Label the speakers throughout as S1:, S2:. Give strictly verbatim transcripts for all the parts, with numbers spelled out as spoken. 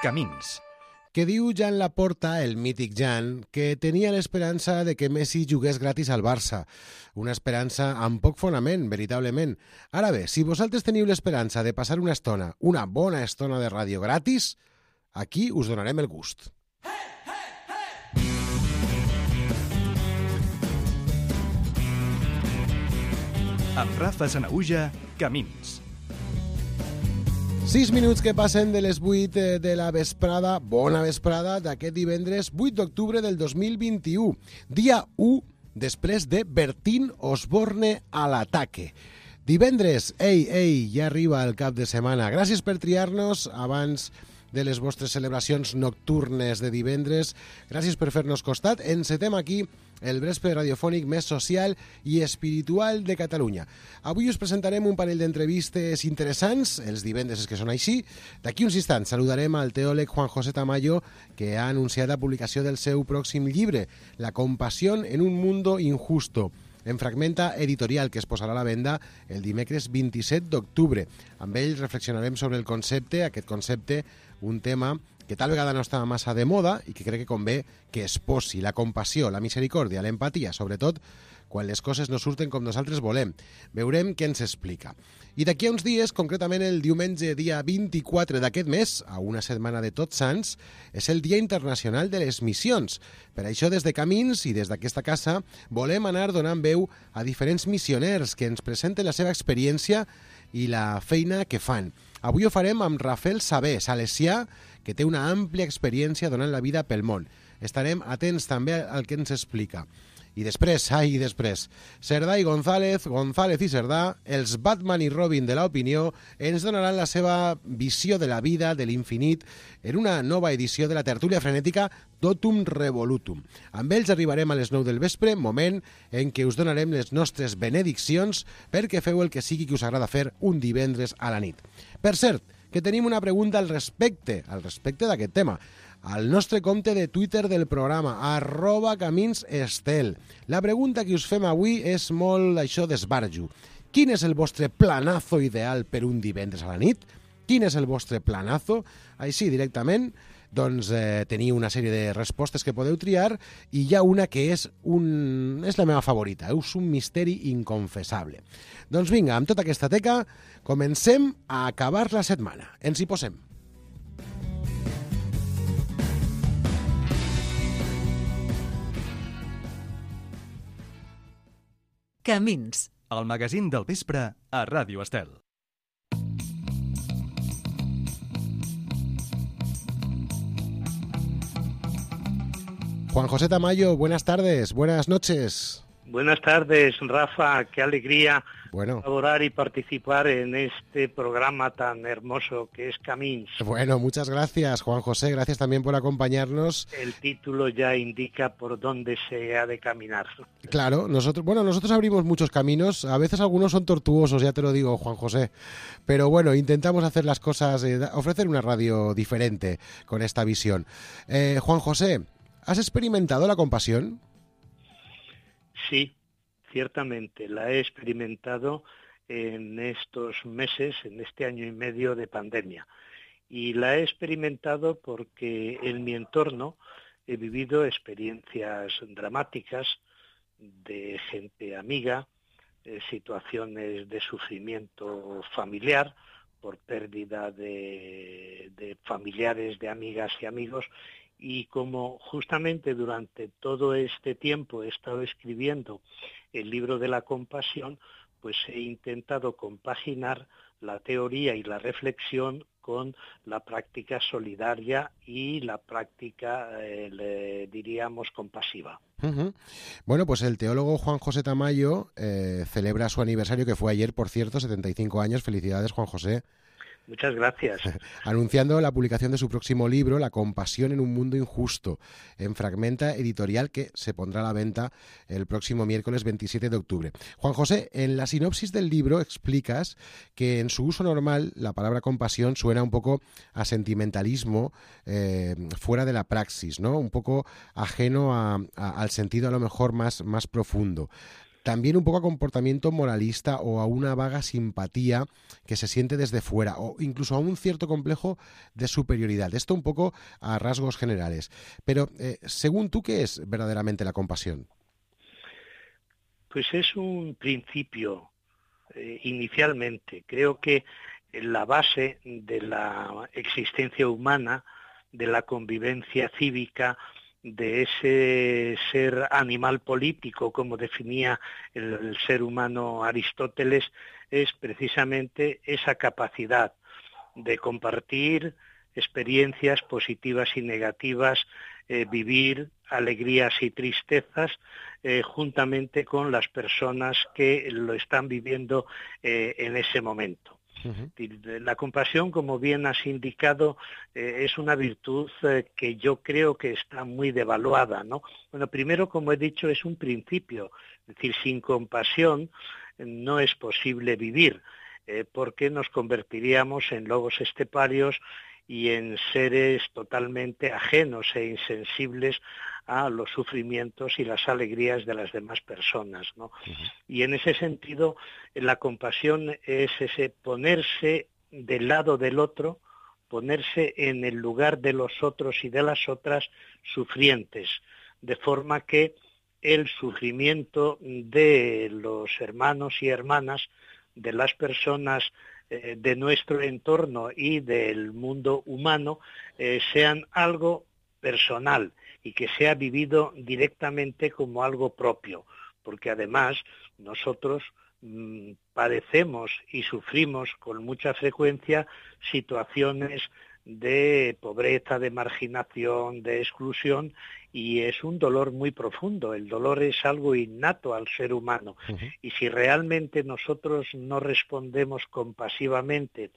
S1: Camins.
S2: Que diu Jan Laporta, el mític Jan, que tenia l'esperança de que Messi jugués gratis al Barça. Una esperança amb poc fonament, veritablement. Ara bé, si vosaltres teniu l'esperança de passar una estona, una bona estona de ràdio gratis, aquí us donarem el gust.
S1: Amb Rafa Sanahuja, Camins.
S2: Sis minuts que passen de les vuit de la vesprada, bona vesprada, d'aquest divendres vuit d'octubre del dos mil vint-i-u, dia u després de Bertín Osborne a l'ataque. Divendres, ei, ei, ja arriba el cap de setmana. Gràcies per triar-nos abans de les vostres celebracions nocturnes de divendres. Gràcies per fer-nos costat. Encetem aquí el vespre radiofònic més social i espiritual de Catalunya. Avui us presentarem un parell d'entrevistes interessants, els divendres que són així. D'aquí uns instants saludarem al teòleg Juan José Tamayo, que ha anunciat la publicació del seu pròxim llibre, La compasión en un mundo injusto, en Fragmenta Editorial, que es posarà a la venda el dimecres vint-i-set d'octubre. Amb ell reflexionarem sobre el concepte, aquest concepte, un tema que tal vegada no està massa de moda i que crec que convé que es posi, la compassió, la misericòrdia, l'empatia, sobretot quan les coses no surten com nosaltres volem. Veurem què ens explica. I d'aquí a uns dies, concretament el diumenge dia vint-i-quatre d'aquest mes, a una setmana de Tots Sants, és el Dia Internacional de les Missions. Per això, des de Camins i des d'aquesta casa, volem anar donant veu a diferents missioners que ens presenten la seva experiència i la feina que fan. Avui ho farem amb Rafael Sabé, salesià, que té una àmplia experiència donant la vida pel món. Estarem atents també al que ens explica. I després, ai, després, Cerdà i González, González i Cerdà, els Batman i Robin de l'opinió, ens donaran la seva visió de la vida, de l'infinit, en una nova edició de la tertúlia frenètica Totum Revolutum. Amb ells arribarem a les nou del vespre, moment en què us donarem les nostres benediccions perquè feu el que sigui que us agrada fer un divendres a la nit. Per cert, que tenim una pregunta al respecte, al respecte d'aquest tema. Al nostre compte de Twitter del programa, arroba caminsestel. La pregunta que us fem avui és molt això d'esbarjo. Quin és el vostre planazo ideal per un divendres a la nit? Quin és el vostre planazo? Així, directament, doncs eh, teniu una sèrie de respostes que podeu triar i hi ha una que és, un... és la meva favorita, és un misteri inconfessable. Doncs vinga, amb tota aquesta teca, comencem a acabar la setmana. Ens hi posem.
S3: Camins.
S1: El magazín del vespre a Ràdio Estel.
S2: Juan José Tamayo, buenas tardes, buenas noches.
S4: Buenas tardes, Rafa, qué alegría
S2: bueno.
S4: colaborar y participar en este programa tan hermoso que es Camins.
S2: Bueno, muchas gracias, Juan José, gracias también por acompañarnos.
S4: El título ya indica por dónde se ha de caminar.
S2: Claro, nosotros, bueno, nosotros abrimos muchos caminos, a veces algunos son tortuosos, ya te lo digo, Juan José, pero bueno, intentamos hacer las cosas, eh, ofrecer una radio diferente con esta visión. Eh, Juan José, ¿has experimentado la compasión?
S4: Sí, ciertamente, la he experimentado en estos meses, en este año y medio de pandemia. Y la he experimentado porque en mi entorno he vivido experiencias dramáticas de gente amiga, eh, situaciones de sufrimiento familiar por pérdida de, de familiares, de amigas y amigos. Y como justamente durante todo este tiempo he estado escribiendo el libro de la compasión, pues he intentado compaginar la teoría y la reflexión con la práctica solidaria y la práctica, eh, le diríamos, compasiva.
S2: Uh-huh. Bueno, pues el teólogo Juan José Tamayo eh, celebra su aniversario, que fue ayer, por cierto, setenta y cinco años. Felicidades, Juan José.
S4: Muchas gracias.
S2: Anunciando la publicación de su próximo libro, La compasión en un mundo injusto, en Fragmenta Editorial, que se pondrá a la venta el próximo miércoles veintisiete de octubre. Juan José, en la sinopsis del libro explicas que en su uso normal la palabra compasión suena un poco a sentimentalismo eh, fuera de la praxis, ¿no? Un poco ajeno a, a, al sentido a lo mejor más, más profundo. también un poco a comportamiento moralista o a una vaga simpatía que se siente desde fuera, o incluso a un cierto complejo de superioridad. Esto un poco a rasgos generales. Pero, eh, según tú, ¿qué es verdaderamente la compasión?
S4: Pues es un principio, eh, inicialmente. Creo que la base de la existencia humana, de la convivencia cívica, de ese ser animal político, como definía el, el ser humano Aristóteles, es precisamente esa capacidad de compartir experiencias positivas y negativas, eh, vivir alegrías y tristezas eh, juntamente con las personas que lo están viviendo eh, en ese momento. Uh-huh. La compasión, como bien has indicado, eh, es una virtud eh, que yo creo que está muy devaluada, ¿no? Bueno, primero, como he dicho, es un principio, es decir, sin compasión eh, no es posible vivir, eh, porque nos convertiríamos en lobos esteparios y en seres totalmente ajenos e insensibles a los sufrimientos y las alegrías de las demás personas, ¿no? Uh-huh. Y en ese sentido, la compasión es ese ponerse del lado del otro, ponerse en el lugar de los otros y de las otras sufrientes, de forma que el sufrimiento de los hermanos y hermanas, de las personas eh, de nuestro entorno y del mundo humano, eh, sean algo personal y que sea vivido directamente como algo propio, porque además nosotros mmm, padecemos y sufrimos con mucha frecuencia situaciones de pobreza, de marginación, de exclusión, y es un dolor muy profundo. El dolor es algo innato al ser humano. Uh-huh. Y si realmente nosotros no respondemos compasivamente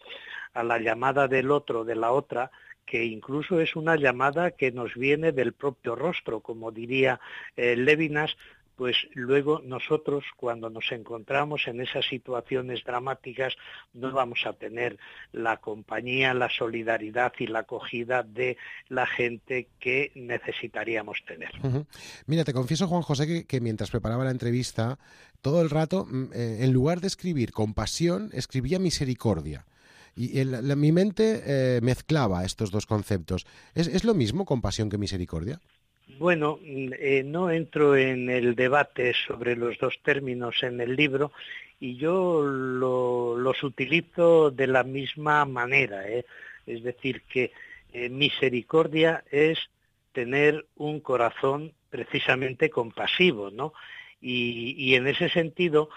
S4: a la llamada del otro, de la otra, que incluso es una llamada que nos viene del propio rostro, como diría eh, Lévinas, pues luego nosotros, cuando nos encontramos en esas situaciones dramáticas, no vamos a tener la compañía, la solidaridad y la acogida de la gente que necesitaríamos tener.
S2: Uh-huh. Mira, te confieso, Juan José, que, que mientras preparaba la entrevista, todo el rato, eh, en lugar de escribir compasión, escribía misericordia. Y el, la, mi mente eh, mezclaba estos dos conceptos. ¿Es, ¿Es lo mismo compasión que misericordia?
S4: Bueno, eh, no entro en el debate sobre los dos términos en el libro y yo lo, los utilizo de la misma manera, ¿eh? Es decir, que eh, misericordia es tener un corazón precisamente compasivo, ¿no? Y, y en ese sentido,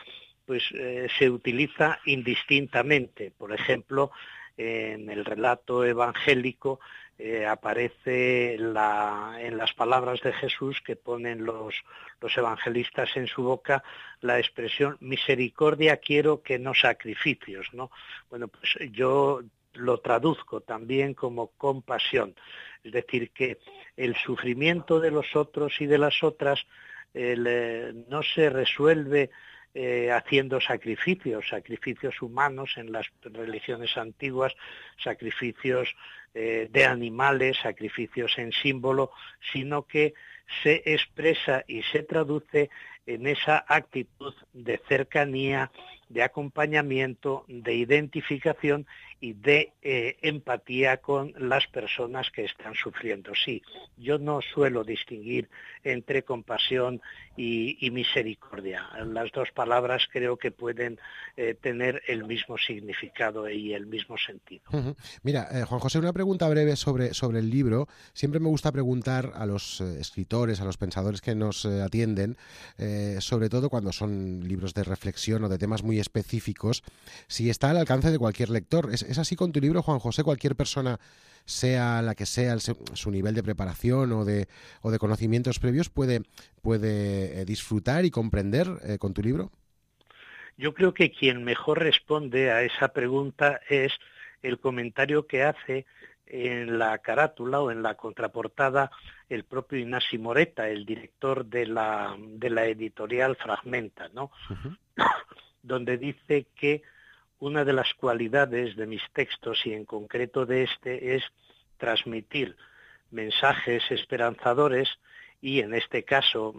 S4: pues eh, se utiliza indistintamente. Por ejemplo, en el relato evangélico eh, aparece la, en las palabras de Jesús que ponen los, los evangelistas en su boca la expresión misericordia quiero que no sacrificios, ¿no? Bueno, pues yo lo traduzco también como compasión, es decir, que el sufrimiento de los otros y de las otras el, eh, no se resuelve Eh, haciendo sacrificios, sacrificios humanos en las religiones antiguas, sacrificios eh, de animales, sacrificios en símbolo, sino que se expresa y se traduce en esa actitud de cercanía, de acompañamiento, de identificación y de eh, empatía con las personas que están sufriendo. Sí, yo no suelo distinguir entre compasión y, y misericordia. Las dos palabras creo que pueden eh, tener el mismo significado y el mismo sentido.
S2: Uh-huh. Mira, eh, Juan José, una pregunta breve sobre, sobre el libro. Siempre me gusta preguntar a los eh, escritores, a los pensadores que nos eh, atienden, eh, sobre todo cuando son libros de reflexión o de temas muy específicos, si está al alcance de cualquier lector. ¿Es, es así con tu libro, Juan José? ¿Cualquier persona, sea la que sea el, su nivel de preparación o de, o de conocimientos previos, puede, puede eh, disfrutar y comprender eh, con tu libro?
S4: Yo creo que quien mejor responde a esa pregunta es el comentario que hace en la carátula o en la contraportada el propio Ignasi Moreta, el director de la, de la editorial Fragmenta, ¿no? Uh-huh. Donde dice que una de las cualidades de mis textos, y en concreto de este, es transmitir mensajes esperanzadores y en este caso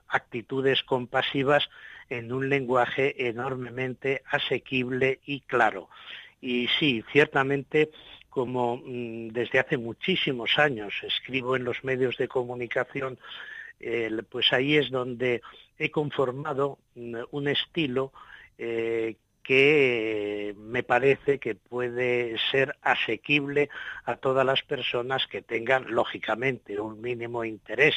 S4: actitudes compasivas en un lenguaje enormemente asequible y claro. Y sí, ciertamente, como desde hace muchísimos años escribo en los medios de comunicación, eh, pues ahí es donde he conformado un estilo eh, que me parece que puede ser asequible a todas las personas que tengan, lógicamente, un mínimo interés.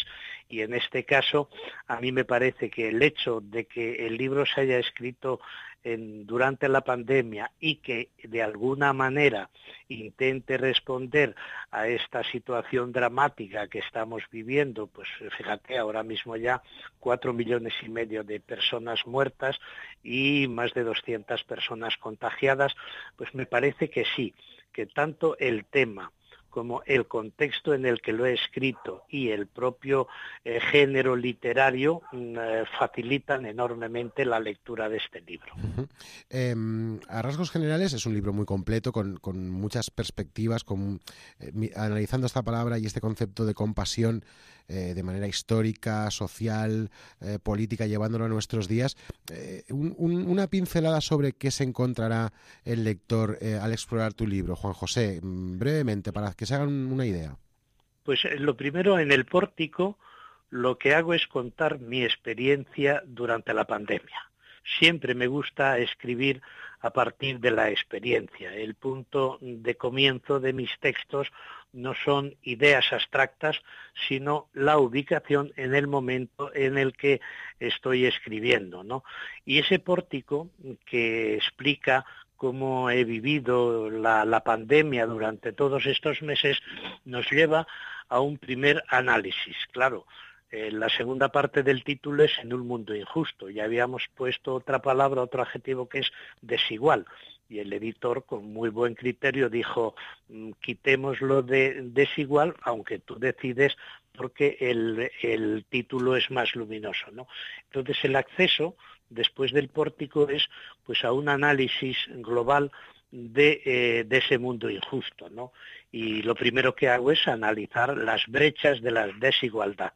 S4: Y en este caso, a mí me parece que el hecho de que el libro se haya escrito en, durante la pandemia y que de alguna manera intente responder a esta situación dramática que estamos viviendo, pues fíjate, ahora mismo ya cuatro millones y medio de personas muertas y más de doscientas personas contagiadas, pues me parece que sí, que tanto el tema como el contexto en el que lo he escrito y el propio eh, género literario eh, facilitan enormemente la lectura de este libro.
S2: Uh-huh. Eh, a rasgos generales es un libro muy completo, con, con muchas perspectivas, con, eh, mi, analizando esta palabra y este concepto de compasión eh, de manera histórica, social, eh, política, llevándolo a nuestros días. Eh, un, un, una pincelada sobre qué se encontrará el lector eh, al explorar tu libro, Juan José, brevemente, para que se hagan una idea.
S4: Pues lo primero, en el pórtico, lo que hago es contar mi experiencia durante la pandemia. Siempre me gusta escribir a partir de la experiencia. El punto de comienzo de mis textos no son ideas abstractas, sino la ubicación en el momento en el que estoy escribiendo, ¿no? Y ese pórtico que explica cómo he vivido la, la pandemia durante todos estos meses nos lleva a un primer análisis. Claro, eh, la segunda parte del título es En un mundo injusto. Ya habíamos puesto otra palabra, otro adjetivo que es desigual. Y el editor, con muy buen criterio, dijo, quitémoslo de desigual, aunque tú decides, porque el, el título es más luminoso, ¿no? Entonces el acceso después del pórtico es pues a un análisis global de, eh, de ese mundo injusto, ¿no? Y lo primero que hago es analizar las brechas de la desigualdad,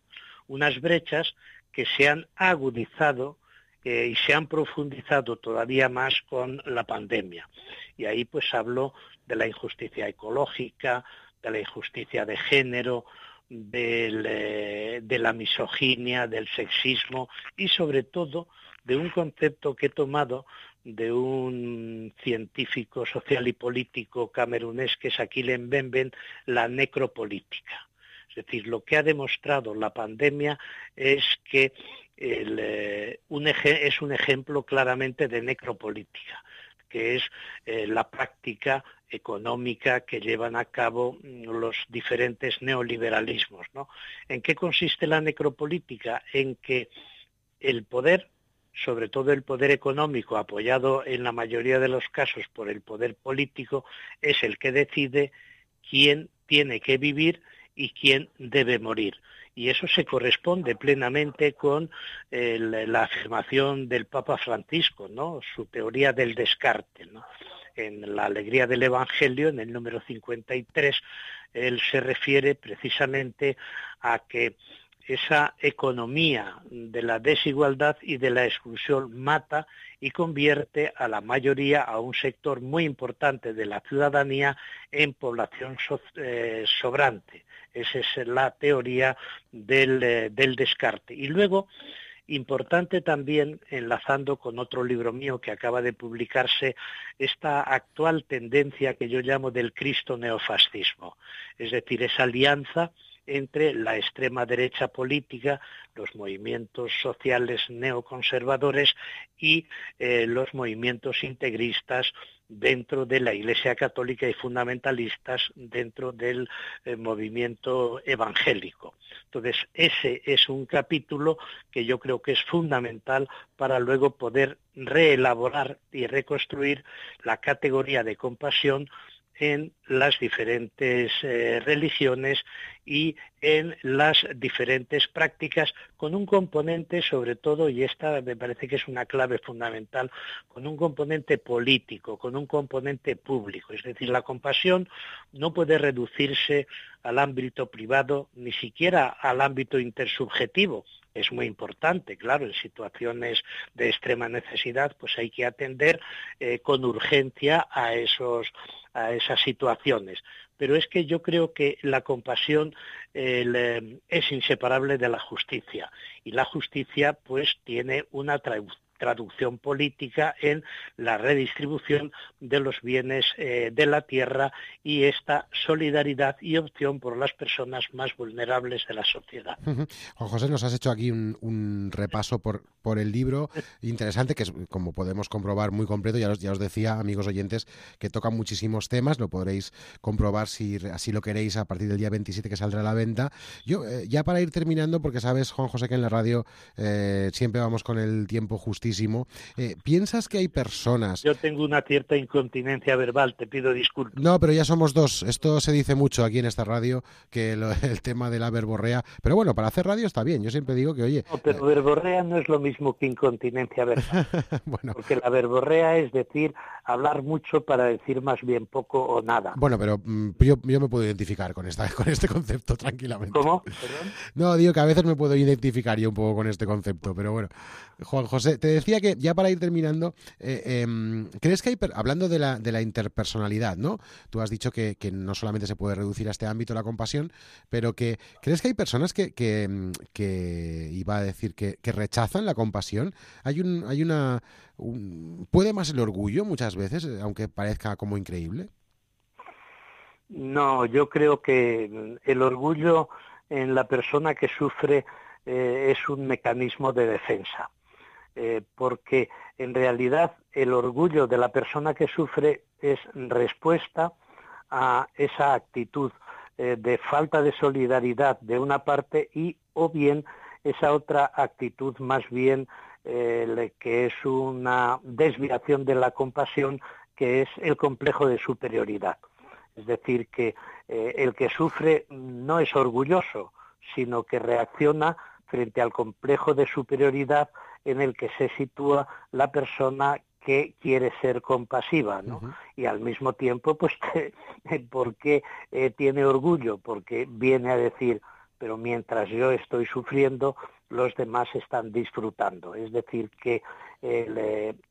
S4: unas brechas que se han agudizado eh, y se han profundizado todavía más con la pandemia. Y ahí pues hablo de la injusticia ecológica, de la injusticia de género, del, eh, de la misoginia, del sexismo y sobre todo de un concepto que he tomado de un científico social y político camerunés que es Achille Mbembe, la necropolítica. Es decir, lo que ha demostrado la pandemia es que el, eh, un eje, es un ejemplo claramente de necropolítica, que es eh, la práctica económica que llevan a cabo los diferentes neoliberalismos, ¿no? ¿En qué consiste la necropolítica? En que el poder, sobre todo el poder económico, apoyado en la mayoría de los casos por el poder político, es el que decide quién tiene que vivir y quién debe morir. Y eso se corresponde plenamente con el, la afirmación del Papa Francisco, ¿no? Su teoría del descarte, ¿no? En la Alegría del Evangelio, en el número cincuenta y tres, él se refiere precisamente a que esa economía de la desigualdad y de la exclusión mata y convierte a la mayoría, a un sector muy importante de la ciudadanía, en población so, eh, sobrante. Esa es la teoría del, eh, del descarte. Y luego, importante también, enlazando con otro libro mío que acaba de publicarse, esta actual tendencia que yo llamo del Cristo neofascismo, es decir, esa alianza entre la extrema derecha política, los movimientos sociales neoconservadores y eh, los movimientos integristas dentro de la Iglesia Católica y fundamentalistas dentro del eh, movimiento evangélico. Entonces, ese es un capítulo que yo creo que es fundamental para luego poder reelaborar y reconstruir la categoría de compasión en las diferentes eh, religiones y en las diferentes prácticas, con un componente sobre todo, y esta me parece que es una clave fundamental, con un componente político, con un componente público. Es decir, la compasión no puede reducirse al ámbito privado, ni siquiera al ámbito intersubjetivo. Es muy importante, claro, en situaciones de extrema necesidad, pues hay que atender eh, con urgencia a esos, a esas situaciones. Pero es que yo creo que la compasión eh, le, es inseparable de la justicia, y la justicia pues tiene una traducción traducción política en la redistribución de los bienes eh, de la tierra y esta solidaridad y opción por las personas más vulnerables de la sociedad.
S2: Uh-huh. Juan José, nos has hecho aquí un, un repaso por, por el libro interesante, que es, como podemos comprobar, muy completo. Ya os, ya os decía, amigos oyentes, que toca muchísimos temas. Lo podréis comprobar si así lo queréis a partir del día veintisiete, que saldrá a la venta. Yo, eh, ya para ir terminando, porque sabes, Juan José, que en la radio eh, siempre vamos con el tiempo justo. Eh, ¿Piensas que hay personas...
S4: Yo tengo una cierta incontinencia verbal, te pido disculpas.
S2: No, pero ya somos dos. Esto se dice mucho aquí en esta radio, que lo, el tema de la verborrea... Pero bueno, para hacer radio está bien. Yo siempre digo que, oye...
S4: No, pero eh... verborrea no es lo mismo que incontinencia verbal. Bueno. Porque la verborrea es decir, hablar mucho para decir más bien poco o nada.
S2: Bueno, pero mm, yo, yo me puedo identificar con, esta, con este concepto tranquilamente.
S4: ¿Cómo? ¿Perdón?
S2: No, digo que a veces me puedo identificar yo un poco con este concepto, pero bueno. Juan José, te decía que ya para ir terminando, eh, eh, ¿crees que hay, hablando de la, de la interpersonalidad, ¿no? Tú has dicho que, que no solamente se puede reducir a este ámbito la compasión, pero que ¿crees que hay personas que, que, que iba a decir, que, que rechazan la compasión? Hay un, hay una, un, ¿puede más el orgullo muchas veces, aunque parezca como increíble?
S4: No, yo creo que el orgullo en la persona que sufre eh, es un mecanismo de defensa. Eh, porque en realidad el orgullo de la persona que sufre es respuesta a esa actitud eh, de falta de solidaridad de una parte y o bien esa otra actitud más bien eh, que es una desviación de la compasión, que es el complejo de superioridad. Es decir, que eh, el que sufre no es orgulloso, sino que reacciona frente al complejo de superioridad en el que se sitúa la persona que quiere ser compasiva, ¿no? Uh-huh. Y al mismo tiempo, pues, ¿por qué eh, tiene orgullo? Porque viene a decir, pero mientras yo estoy sufriendo, los demás están disfrutando. Es decir, que eh,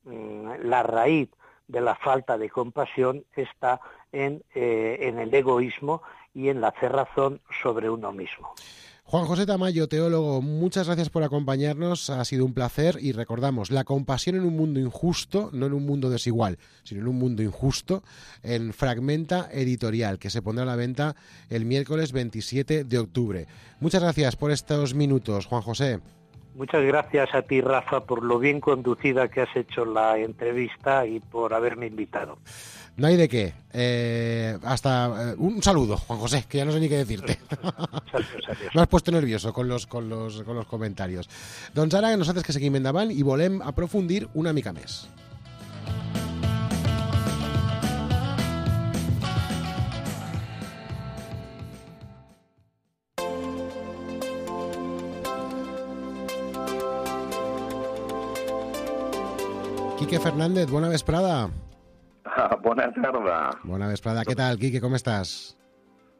S4: le, la raíz de la falta de compasión está en, eh, en el egoísmo y en la cerrazón sobre uno mismo.
S2: Juan José Tamayo, teólogo, muchas gracias por acompañarnos, ha sido un placer y recordamos, la compasión en un mundo injusto, no en un mundo desigual, sino en un mundo injusto, en Fragmenta Editorial, que se pondrá a la venta el miércoles veintisiete de octubre. Muchas gracias por estos minutos, Juan José.
S4: Muchas gracias a ti, Rafa, por lo bien conducida que has hecho la entrevista y por haberme invitado.
S2: No hay de qué. Eh, hasta eh, un saludo, Juan José, que ya no sé ni qué decirte.
S4: Adiós, adiós.
S2: Me has puesto nervioso con los, con los, con los comentarios. Doncs ara nosaltres que seguim endavant i volem aprofundir una mica més. Quique Fernández, bona vesprada.
S5: Ah, bona tarda.
S2: Bona vesprada. Què tal, Quique, com estàs?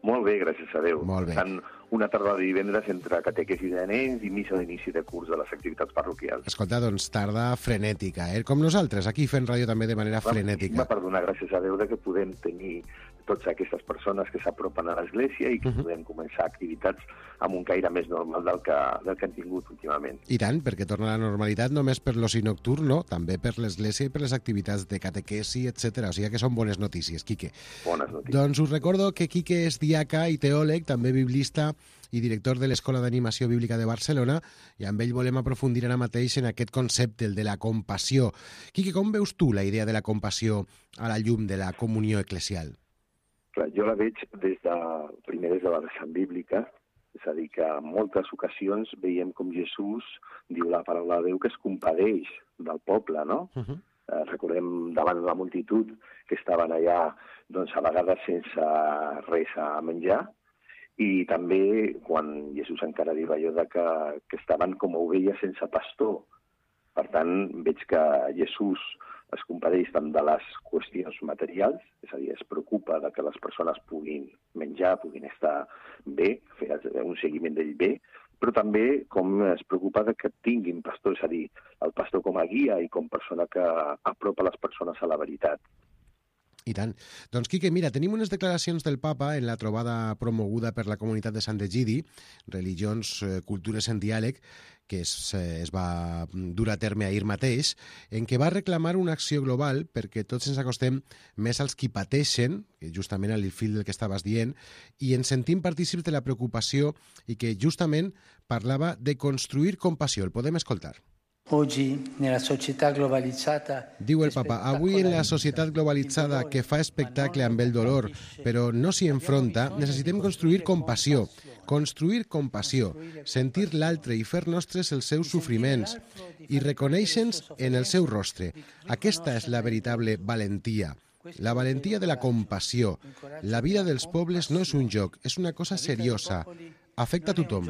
S5: Molt bé, gràcies a Déu.
S2: Molt bé.
S5: Tant una tarda de divendres entre catequesi de nens i missa d'inici de curs de les activitats parroquials.
S2: Escolta, doncs tarda frenètica, eh? Com nosaltres, aquí fent ràdio també de manera frenètica.
S5: Va per donar gràcies a Déu de que podem tenir totes aquestes persones que s'apropen a l'Església i que uh-huh. podem començar activitats amb un caire més normal del que, del que han tingut últimament.
S2: I tant, perquè torna a la normalitat només per l'oci nocturn, no? També per l'Església i per les activitats de catequesi, etcètera. O sigui que són bones notícies, Quique.
S5: Bones notícies.
S2: Doncs us recordo que Quique és diaca i teòleg, també biblista i director de l'Escola d'Animació Bíblica de Barcelona, i amb ell volem aprofundir ara mateix en aquest concepte, el de la compassió. Quique, com veus tu la idea de la compassió a la llum de la comunió eclesial?
S5: Clar, jo la veig des de, primer des de la vessant bíblica, és a dir, que en moltes ocasions veiem com Jesús diu la paraula de Déu que es compadeix del poble, no? Uh-huh. Eh, recordem davant la multitud que estaven allà, doncs, a vegades sense res a menjar, i també quan Jesús encara diu allò de que, que estaven com ovelles sense pastor. Per tant, veig que Jesús es compadeix tant de les qüestions materials, és a dir, es preocupa de que les persones puguin menjar, puguin estar bé, fer un seguiment d'ell bé, però també com es preocupa de que tinguin pastor, és a dir, el pastor com a guia i com persona que apropa les persones a la veritat.
S2: I tant. Doncs, Quique, mira, tenim unes declaracions del papa en la trobada promoguda per la comunitat de Sant Egidi, Religions, Cultures en Diàleg, que es, es va dur a terme ahir mateix, en què va reclamar una acció global perquè tots ens acostem més als qui pateixen, justament al fil del que estaves dient, i ens sentim partícips de la preocupació i que justament parlava de construir compassió. El podem escoltar.
S6: Oggi, nella società globalizzata...
S2: Diu el papa, avui en la societat globalitzada que fa espectacle amb el dolor, però no s'hi enfronta, necessitem construir compassió. Construir compassió, sentir l'altre i fer nostres els seus sofriments i reconèixer-nos en el seu rostre. Aquesta és la veritable valentia. La valentia de la compassió. La vida dels pobles no és un joc, és una cosa seriosa. Afecta a tothom.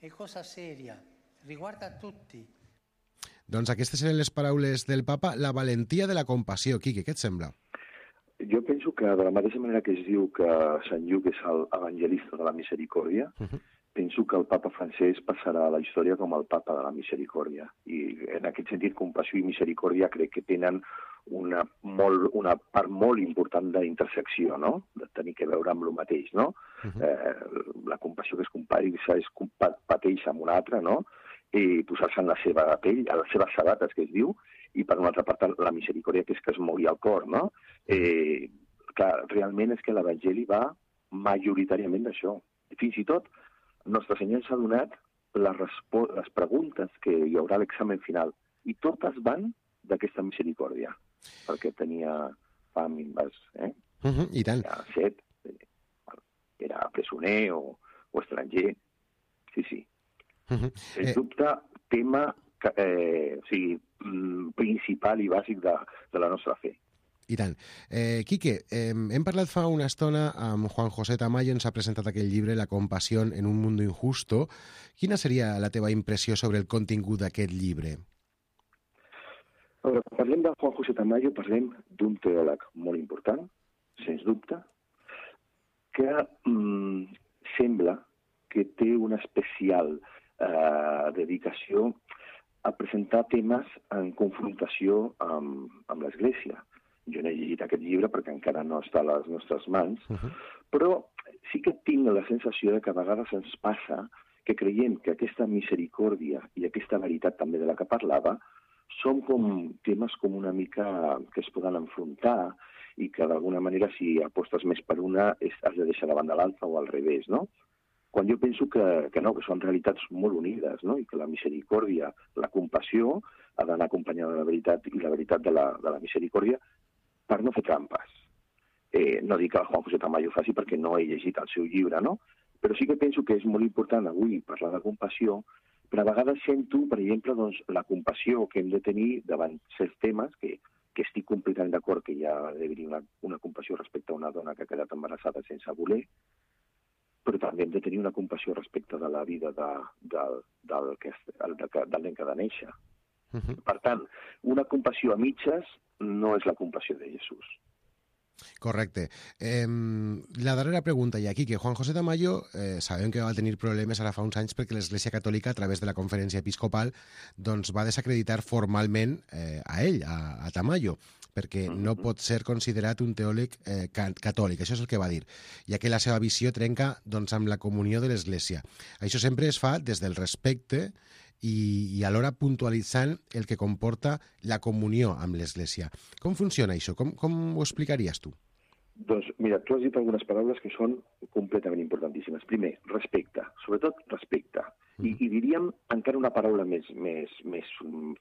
S6: È cosa seria, riguarda tutti.
S2: Doncs aquestes eren les paraules del papa, la valentia de la compassió. Quique, què et sembla?
S5: Jo penso que de la mateixa manera que es diu que Sant Lluc és l'evangelista de la misericòrdia, uh-huh. penso que el papa francès passarà a la història com el papa de la misericòrdia. I en aquest sentit, compassió i misericòrdia crec que tenen una, molt, una part molt important d'intersecció, no? De tenir que veure amb el mateix, no? Uh-huh. eh, la compassió que es compari, és pateix amb un altre, no? I posar-se en la seva pell, a les seves sabates, que es diu, i per una altra part la misericòrdia, que és que es mogui el cor, no? Eh, clar, realment és que l'Evangeli va majoritàriament d'això. Fins i tot, Nostre Senyor ens ha donat les, les preguntes que hi haurà a l'examen final, i totes van d'aquesta misericòrdia, perquè tenia fam i vas, eh?
S2: Uh-huh, I tant.
S5: Era set, era presoner o, o estranger, sí, sí. Uh-huh. Sens dubte, tema eh, o sigui, principal i bàsic de, de la nostra fe.
S2: I tant. Eh, Quique, eh, hem parlat fa una estona amb Juan José Tamayo, ens ha presentat aquell llibre La compasión en un mundo injusto. Quina seria la teva impressió sobre el contingut d'aquest llibre?
S5: A veure, quan parlem de Juan José Tamayo, parlem d'un teòleg molt important, sens dubte, que mm, sembla que té una especial Eh, dedicació a presentar temes en confrontació amb, amb l'Església. Jo no he llegit aquest llibre perquè encara no està a les nostres mans, uh-huh. però sí que tinc la sensació de que a vegades ens passa que creiem que aquesta misericòrdia i aquesta veritat també de la que parlava són com temes com una mica que es poden enfrontar i que d'alguna manera si apostes més per una has de deixar davant de l'altra o al revés, no? Quan jo penso que, que no, que són realitats molt unides, no? I que la misericòrdia, la compassió, ha d'anar acompanyada de la veritat i la veritat de la, de la misericòrdia per no fer trampes. Eh, no dic que el Juan José Tamayo faci perquè no he llegit el seu llibre, no? Però sí que penso que és molt important avui parlar de compassió, però a vegades sento, per exemple, doncs, la compassió que hem de tenir davant certs temes, que, que estic completament d'acord que hi ha d'haver una, una compassió respecte a una dona que ha quedat embarassada sense voler, però també hem de tenir una compassió respecte de la vida de, de, del, que, del, del nen que ha de néixer. Uh-huh. Per tant, una compassió a mitges no és la compassió de Jesús.
S2: Correcte. Eh, la darrera pregunta hi ha aquí, que Juan José Tamayo eh, sabem que va tenir problemes ara fa uns anys perquè l'Església Catòlica, a través de la Conferència Episcopal, doncs va desacreditar formalment eh, a ell, a, a Tamayo, perquè no pot ser considerat un teòleg eh, catòlic, això és el que va dir, ja que la seva visió trenca doncs, amb la comunió de l'Església. Això sempre es fa des del respecte i, i alhora puntualitzant el que comporta la comunió amb l'Església. Com funciona això? Com, com ho explicaries tu?
S5: Doncs mira, tu has dit algunes paraules que són completament importantíssimes. Primer, respecte, sobretot respecte. I, i diríem encara una paraula més, més, més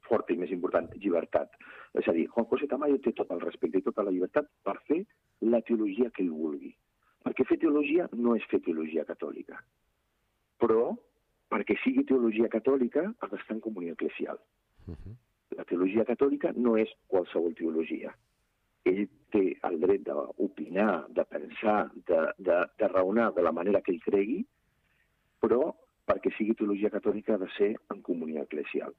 S5: forta i més important, llibertat. És a dir, Juan José Tamayo té tot el respecte i tota la llibertat per fer la teologia que ell vulgui. Perquè fer teologia no és fer teologia catòlica. Però, perquè sigui teologia catòlica, ha d'estar en comunió eclesial. Uh-huh. la teologia catòlica no és qualsevol teologia. Ell té el dret d'opinar, de pensar, de, de, de raonar de la manera que ell cregui, però perquè sigui teologia catòlica ha de ser en comunió eclesial.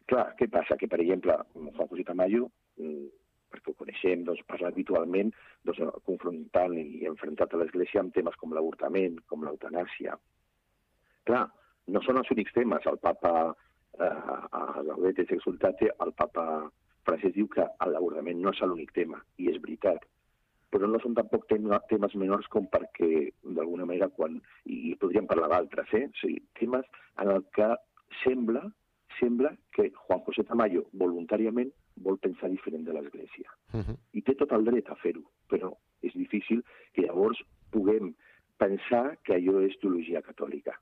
S5: Clar, què passa? Que, per exemple, Juan José Tamayo, perquè ho coneixem, doncs, parla habitualment doncs, confrontant i enfrontat a l'Església amb temes com l'avortament, com l'eutanàsia. Clar, no són els únics temes. El papa, eh, a Gaudete et Exsultate, el papa francès diu que l'avortament no és l'únic tema, i és veritat. Però no són tampoc temes menors com perquè, d'alguna manera, quan... i podríem parlar d'altres, eh? O sigui, temes en el que sembla, sembla que Juan José Tamayo voluntàriament vol pensar diferent de l'Església. Uh-huh. I té tot el dret a fer-ho, però és difícil que llavors puguem pensar que allò és teologia catòlica.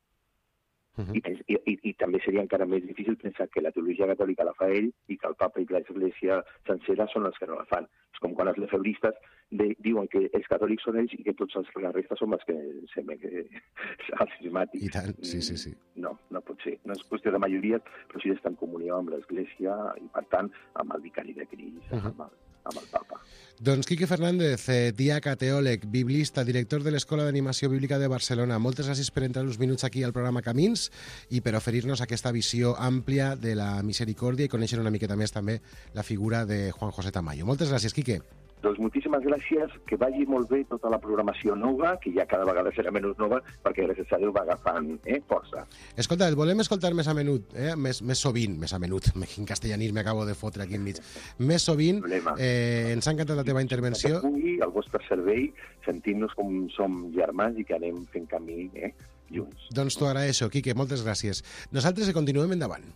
S5: Uh-huh. I, i, i, I també seria encara més difícil pensar que la teologia catòlica la fa ell i que el papa i l'Església sencera són els que no la fan. És com quan els lefebristes de, diuen que els catòlics són ells i que tots els, la resta som els que sembla que els cismàtics.
S2: I tant, sí, sí, sí.
S5: No, no pot ser. No és qüestió de majories, però sí d'estar en comunió amb l'Església i, per tant, amb el vicari de Crist, uh-huh. amb, el, amb el papa.
S2: Doncs Quique Fernández, eh, diaca, teòleg, biblista, director de l'Escola d'Animació Bíblica de Barcelona. Moltes gràcies per entrar uns minuts aquí al programa Camins i per oferir-nos aquesta visió àmplia de la misericòrdia i conèixer una miqueta més també la figura de Juan José Tamayo. Moltes gràcies, Quique.
S5: Doncs moltíssimes gràcies, que vagi molt bé tota la programació nova, que ja cada vegada serà menys nova, perquè gràcies a Déu va agafant eh, força.
S2: Escolta, et volem escoltar més a menut, eh? més, més sovint, més a menut, en castellanisme acabo de fotre aquí enmig, més sovint, eh, ens ha encantat la teva intervenció.
S5: Que pugui, al vostre servei, sentim-nos com som germans i que anem fent camí eh, junts.
S2: Doncs t'ho agraeixo, Quique, moltes gràcies. Nosaltres continuem endavant.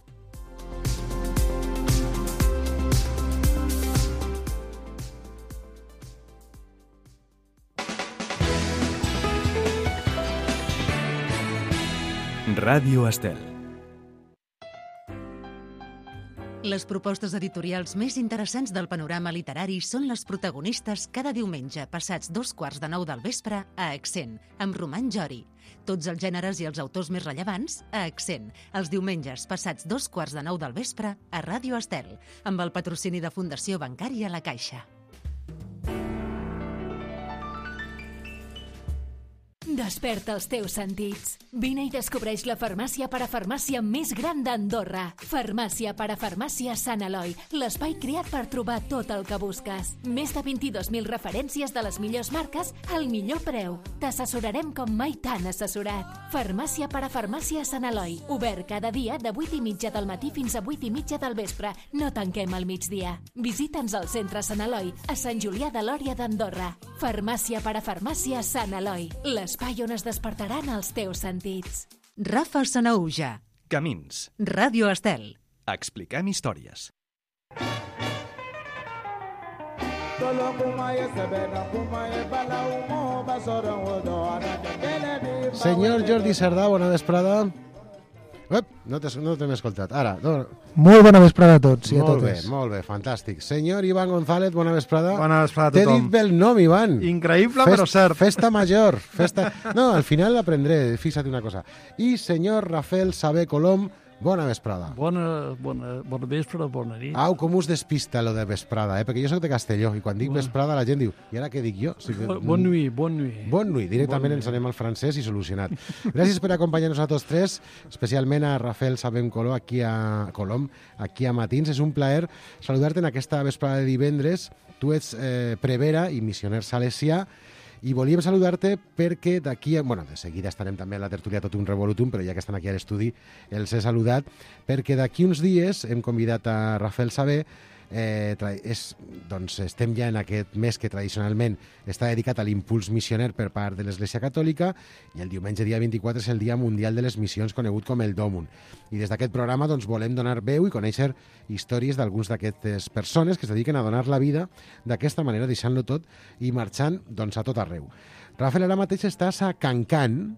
S1: Ràdio Estel.
S3: Les propostes editorials més interessants del panorama literari són les protagonistes cada diumenge passats dos quarts de nou del vespre a Accent, amb Roman Jori. Tots els gèneres i els autors més rellevants a Accent, els diumenges passats dos quarts de nou del vespre a Ràdio Estel, amb el patrocini de Fundació Bancària La Caixa.
S7: Desperta els teus sentits. Vine i descobreix la farmàcia parafarmàcia més gran d'Andorra. Farmàcia parafarmàcia Sant Eloi, l'espai creat per trobar tot el que busques. Més de vint-i-dos mil referències de les millors marques al millor preu. T'assessorarem com mai t'han assessorat. Farmàcia parafarmàcia Sant Eloi, obert cada dia de vuit i mitja del matí fins a vuit i mitja del vespre. No tanquem al migdia. Visita'ns al centre Sant Eloi, a Sant Julià de Lòria d'Andorra. Farmàcia parafarmàcia Sant Eloi, l'espai on es despertaran els teus sentits.
S3: Rafa Sanahuja.
S1: Camins.
S3: Ràdio Estel.
S1: Expliquem històries.
S2: Senyor Jordi Cerdà, bona vesprada. Ep, no t'hem no escoltat. Ara, no.
S8: Molt bona vesprada a tots i a
S2: molt
S8: totes.
S2: Bé, molt bé, fantàstic. Senyor Ivan González, bona vesprada.
S8: Bona vesprada a
S2: T'he
S8: tothom.
S2: dit bé el nom, Ivan.
S8: Increïble, Fest, però cert.
S2: Festa major. Festa... No, al final l'aprendré, fixa't una cosa. I senyor Rafael Sabé Colom, bona vesprada.
S9: Bona, bona, bona vespre, bona nit.
S2: Au, com us despista lo de vesprada, eh? Perquè jo soc de Castelló i quan dic
S9: Bona.
S2: vesprada la gent diu, i ara què dic jo? O sigui,
S9: Bon, bon nuit, bon nuit.
S2: Bon nuit, directament
S9: Bon
S2: ens
S9: nuit.
S2: anem al francès i solucionat. Gràcies per acompanyar-nos a tots tres, especialment a Rafael Sabem Colom aquí a Colom, aquí a Matins. És un plaer saludar-te en aquesta vesprada de divendres. Tu ets eh, prevera i missioner salesià i volíem saludar-te perquè d'aquí... Bueno, de seguida estarem també a la tertúlia tot un revolutum, però ja que estan aquí a l'estudi els he saludat, perquè d'aquí uns dies hem convidat a Rafael Sabé. Eh, és, doncs estem ja en aquest mes que tradicionalment està dedicat a l'impuls missioner per part de l'Església Catòlica i el diumenge dia vint-i-quatre és el Dia Mundial de les Missions, conegut com el Dòmun. I des d'aquest programa doncs, volem donar veu i conèixer històries d'alguns d'aquestes persones que es dediquen a donar la vida d'aquesta manera, deixant-lo tot i marxant doncs, a tot arreu. Rafael, ara mateix estàs a Cancan,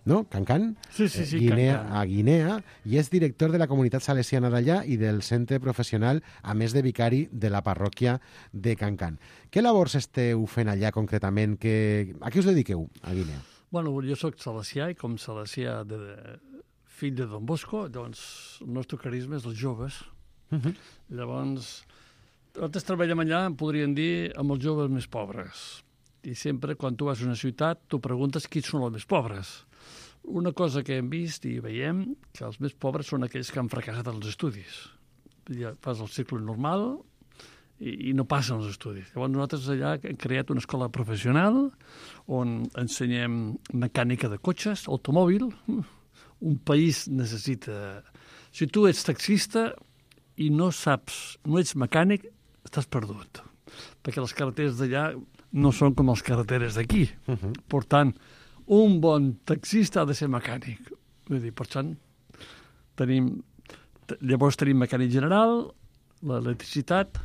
S2: no? Cancan?
S9: Sí, sí, sí,
S2: Guinea,
S9: Cancan.
S2: a Guinea, i és director de la comunitat salesiana d'allà i del centre professional, a més de vicari de la parròquia de Cancan. Què labors esteu fent allà concretament? Que... A què us dediqueu a Guinea?
S9: Bueno, jo sóc salesià i com salesià de, de, fill de Don Bosco, doncs el nostre carisma és els joves. Uh-huh. Llavors, nosaltres treballem allà, em podrien dir, amb els joves més pobres. I sempre, quan tu vas a una ciutat, tu preguntes quins són els més pobres. Una cosa que hem vist i veiem, que els més pobres són aquells que han fracassat els estudis. Ja fas el cicle normal i, i no passen els estudis. Llavors nosaltres allà hem creat una escola professional on ensenyem mecànica de cotxes, automòbil. Un país necessita... Si tu ets taxista i no saps, no ets mecànic, estàs perdut. Perquè les carreteres d'allà no són com les carreteres d'aquí. Uh-huh. Per tant, un bon taxista ha de ser mecànic. Vull dir, per tant, tenim, llavors tenim mecànic general, l'electricitat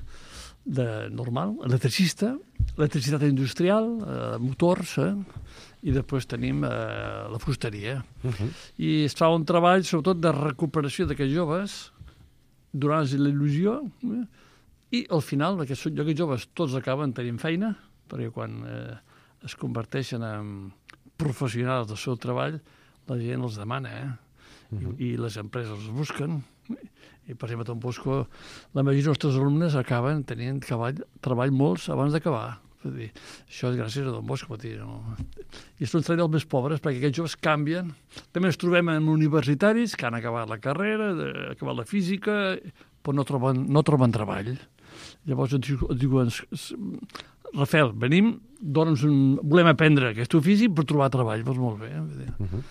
S9: de, normal, electricista, electricitat industrial, eh, motors, eh, i després tenim eh, la fusteria. Uh-huh. I es fa un treball, sobretot, de recuperació d'aquests joves, donar-los l'il·lusió, eh, i al final, aquests, aquests joves tots acaben tenint feina, perquè quan eh, es converteixen en professionals del seu treball, la gent els demana, eh? Uh-huh. I, I les empreses els busquen. I, per exemple, a Don Bosco, la majoria dels nostres alumnes acaben tenint treball, treball molts abans d'acabar. És dir, això és gràcies a Don Bosco. Dir, no? I és un treball dels més pobres, perquè aquests joves canvien. També ens trobem en universitaris que han acabat la carrera, acabat la física, però no troben, no troben treball. Llavors ens diuen, Rafael, venim, dona'ns un... volem aprendre aquest ofici per trobar treball. Doncs molt bé.
S2: Uh-huh.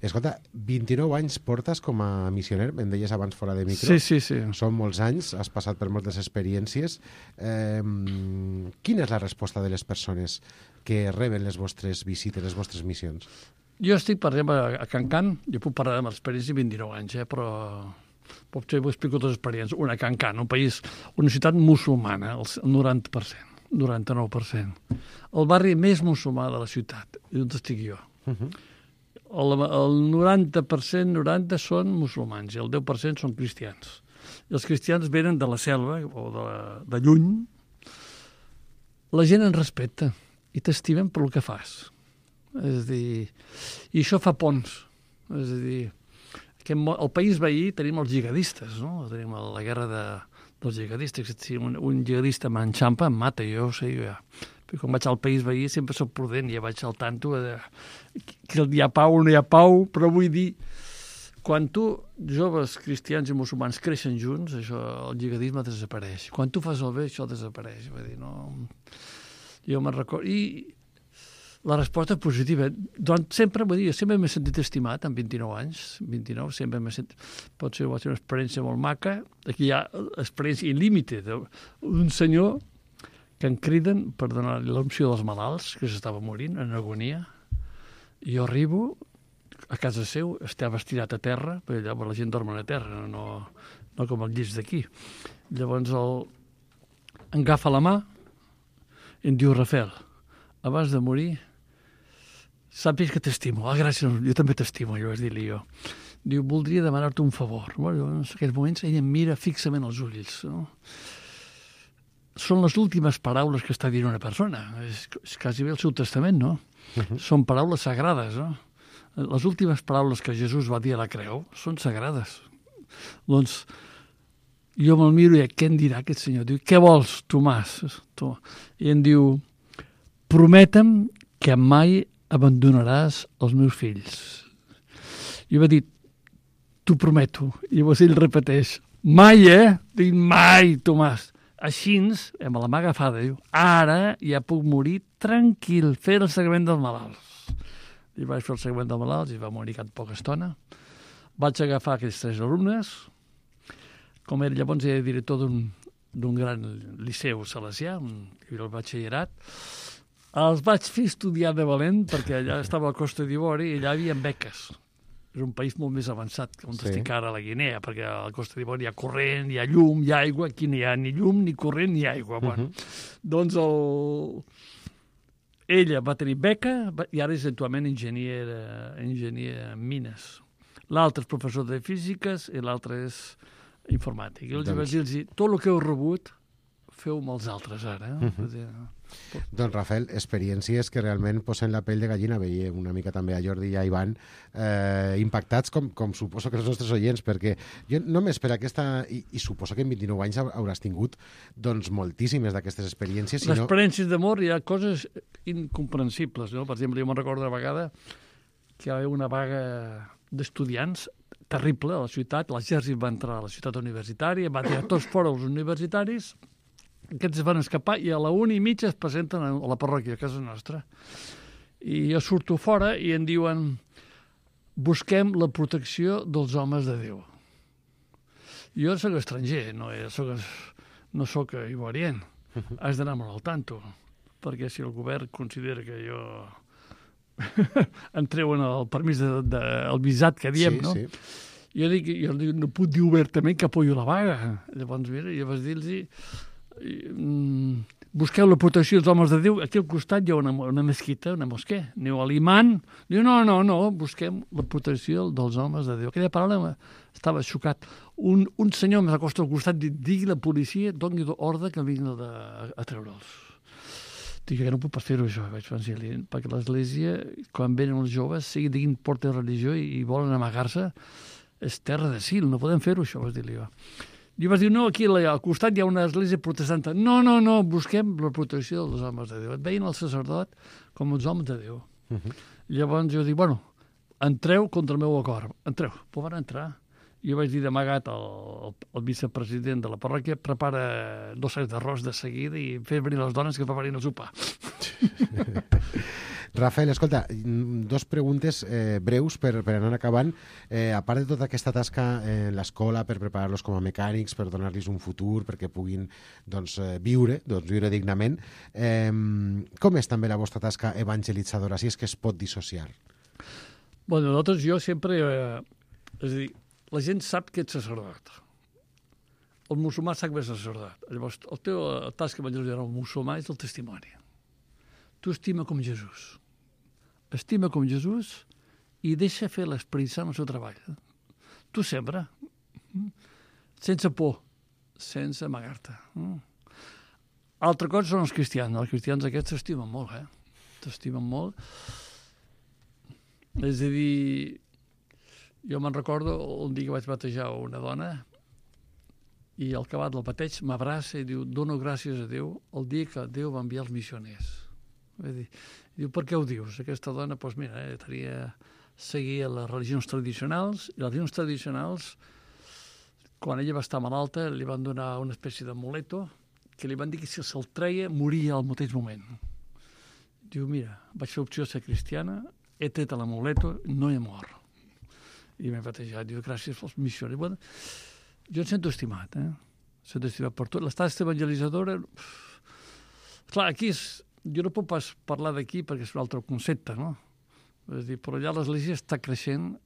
S2: Escolta, vint-i-nou anys portes com a missioner, em deies abans fora de micro.
S9: Sí, sí, sí.
S2: Són molts anys, has passat per moltes experiències. Eh, quina és la resposta de les persones que reben les vostres visites, les vostres missions?
S9: Jo estic, per exemple, a Can Can, jo puc parlar de l'experiència de vint-i-nou anys, eh, però potser vos explico dues experiències. Una, Can Can, un país, una ciutat musulmana, el noranta per cent, noranta-nou per cent. El barri més musulmà de la ciutat, i on estic jo. Uh-huh. El, el noranta per cent, noranta són musulmans i el deu per cent són cristians. I els cristians venen de la selva o de, de lluny. La gent en respecta i t'estimen per el que fas. És a dir, i això fa ponts. És a dir, que al país veí tenim els jihadistes, no? Tenim la guerra de, dels jihadistes. Si un, un jihadista m'enxampa, em mata, jo ho sé, jo ja. Quan vaig al país veí sempre soc prudent, ja vaig al tanto de que hi ha pau o no hi ha pau, però vull dir, quan tu, joves cristians i musulmans, creixen junts, això, el jihadisme desapareix. Quan tu fas el bé, això desapareix. Vull dir, no... Jo me'n recordo... I la resposta és positiva. Doncs sempre, vull dir, sempre m'he sentit estimat, amb vint-i-nou anys, vint-i-nou, sempre m'he sentit... Pot ser, va ser una experiència molt maca. Aquí hi ha experiència il·límite d'un senyor que em criden per donar l'opció dels malalts, que s'estava morint en agonia. I jo arribo a casa seu, estava estirat a terra, perquè allà la gent dorm a terra, no, no com el llit d'aquí. Llavors el, em agafa la mà i em diu, Rafael, abans de morir, sàpies que t'estimo. Ah, gràcies, jo també t'estimo, jo vaig dir-li jo. Diu, voldria demanar-te un favor. Bueno, en aquells moments ell em mira fixament als ulls, no? Són les últimes paraules que està dient una persona. És, és quasi bé el seu testament, no? Uh-huh. Són paraules sagrades, no? Les últimes paraules que Jesús va dir a la creu són sagrades. Doncs jo me'l miro i què em dirà aquest senyor? Diu, què vols, Tomàs? I em diu, prometa'm que mai abandonaràs els meus fills. I va dir, t'ho prometo. I llavors ell repeteix, mai, eh? Dic, mai, Tomàs. Així, amb la mà agafada, diu, ara ja puc morir tranquil, fer el seguiment dels malalts. I vaig fer el seguiment dels malalts i va morir cap poca estona. Vaig agafar aquells tres alumnes. Com era llavors era director d'un gran liceu salesià, el batxillerat. Els vaig fer estudiar de valent perquè allà estava a la Costa d'Ivori i allà hi havia beques. És un país molt més avançat que on sí. Estic ara a la Guinea, perquè a la Costa d'Ivori hi ha corrent, hi ha llum, hi ha aigua, aquí no hi ha ni llum, ni corrent, ni aigua. Uh-huh. Bueno, doncs el... ella va tenir beca i ara és actualment enginyer, enginyer en mines. L'altre és professor de físiques i l'altre és informàtic. I els doncs... vaig dir-los, tot el que heu rebut, feu amb els altres ara. Eh?
S2: Uh-huh. Dir, doncs, Rafael, experiències que realment posen la pell de gallina. Veia una mica també a Jordi i a Ivan eh, impactats, com, com suposo que els nostres oients, perquè jo només per aquesta... I, i suposo que en vint-i-nou anys hauràs tingut doncs, moltíssimes d'aquestes experiències.
S9: Les experiències d'amor, hi ha coses incomprensibles. No? Per exemple, jo me'n recordo una vegada que hi havia una vaga d'estudiants terrible a la ciutat, l'exèrcit va entrar a la ciutat universitària, va tirar tots fora els universitaris, aquests van escapar i a la una i mitja es presenten a la parròquia, a casa nostra. I jo surto fora i em diuen busquem la protecció dels homes de Déu. Jo soc estranger, no soc, no soc ivorian. Has d'anar molt al tanto, perquè si el govern considera que jo em treuen el permís de, de, el visat que diem, sí, no? Sí. Jo dic, jo dic, no puc dir obertament que apoyo la vaga. Llavors, mira, jo vaig dir-los mm, busqueu la protecció dels homes de Déu. Aquí al costat hi ha una, una mesquita, una mosquè. Aneu a l'imant. Diu, no, no, no, busquem la protecció dels homes de Déu. Aquella paraula estava xocat. Un, un senyor m'acosta al costat i digui la policia, doni ordre que vinguin a, a treure'ls. Dic que no puc pas fer-ho això, vaig pensar, perquè l'església, quan venen els joves, sigui diguin porta de religió i, i volen amagar-se, és terra d'asil, no podem fer-ho això, vas dir-li jo. I vas dir, no, aquí al costat hi ha una església protestant. No, no, no, busquem la protecció dels homes de Déu. Et veien el sacerdot com els homes de Déu. Uh-huh. Llavors jo dic, bueno, entreu contra el meu acord, entreu. Però van entrar. Jo vaig dir d'amagat al, al, al vicepresident de la parròquia, prepara dos sacs d'arròs de seguida i fer venir les dones que preparin el sopar.
S2: Rafael, escolta, dos preguntes eh, breus per, per anar acabant. Eh, a part de tota aquesta tasca en l'escola per preparar-los com a mecànics, per donar-los un futur, perquè puguin doncs, viure, doncs, viure dignament, eh, com és també la vostra tasca evangelitzadora, si és que es pot dissociar?
S9: Bueno, nosaltres, jo sempre... Eh, és a dir, la gent sap que ets sacerdot. El musulmà sap que ets sacerdot. Llavors, el teu tasca evangelitzadora al musulmà és el testimoni. Tu estima com Jesús. Estima com Jesús i deixa fer l'Esperit Sant el seu treball. Tu sembra, sense por, sense amagar-te. Altra cosa són els cristians. Els cristians aquests s'estimen molt, eh? T'estimen molt. És a dir, jo me'n recordo un dia que vaig batejar una dona i al acabat del bateig m'abraça i diu, dono gràcies a Déu el dia que Déu va enviar els missioners. Dir, diu, per què ho dius? Aquesta dona, doncs mira, eh, tenia, seguia les religions tradicionals i les religions tradicionals, quan ella va estar malalta, li van donar una espècie d'amuleto que li van dir que si se'l treia moria al mateix moment. Diu, mira, vaig fer opció de ser cristiana, he tret l'amuleto, no he mort. I m'he batejat, diu, gràcies pels missionaris. Bueno, jo em sento estimat, eh? Em sento estimat per tot. L'estat evangelitzadora... Clar, aquí és... Jo no puc pas parlar d'aquí perquè és un altre concepte, no? És dir, però allà l'església està creixent.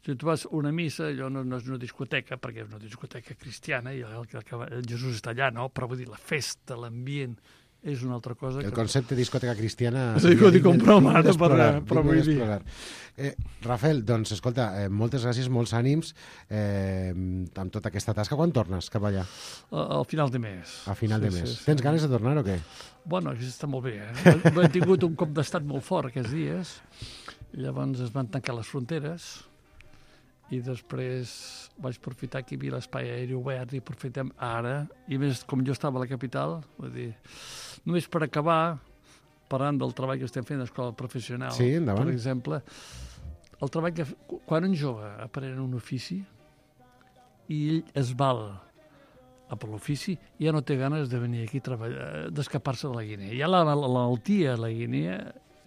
S9: Si tu vas a una missa, allò no, no és una discoteca, perquè és una discoteca cristiana, i el, el, el Jesús està allà, no? Però vull dir, la festa, l'ambient... és una altra cosa.
S2: El
S9: que...
S2: concepte de discoteca cristiana...
S9: Sí, ho dic com broma, ara, però vull dir...
S2: Eh, Rafael, doncs, escolta, eh, moltes gràcies, molts ànims eh, amb tota aquesta tasca. Quan tornes cap allà?
S9: Al final de mes.
S2: A final
S9: sí,
S2: de mes.
S9: Sí, sí.
S2: Tens ganes de tornar o què?
S9: Bueno, està molt bé, eh? Hem tingut un cop d'estat molt fort aquests dies, llavors es van tancar les fronteres, i després vaig aprofitar que hi havia l'espai aeri obert i aprofitem ara, i més com jo estava a la capital, vull dir, només per acabar, parlant del treball que estem fent a l'escola professional,
S2: sí, per
S9: exemple, el treball que... Quan un jove aprèn un ofici i ell es val a per l'ofici, ja no té ganes de venir aquí a treballar, d'escapar-se de la Guinea. Ja la malaltia a la Guinea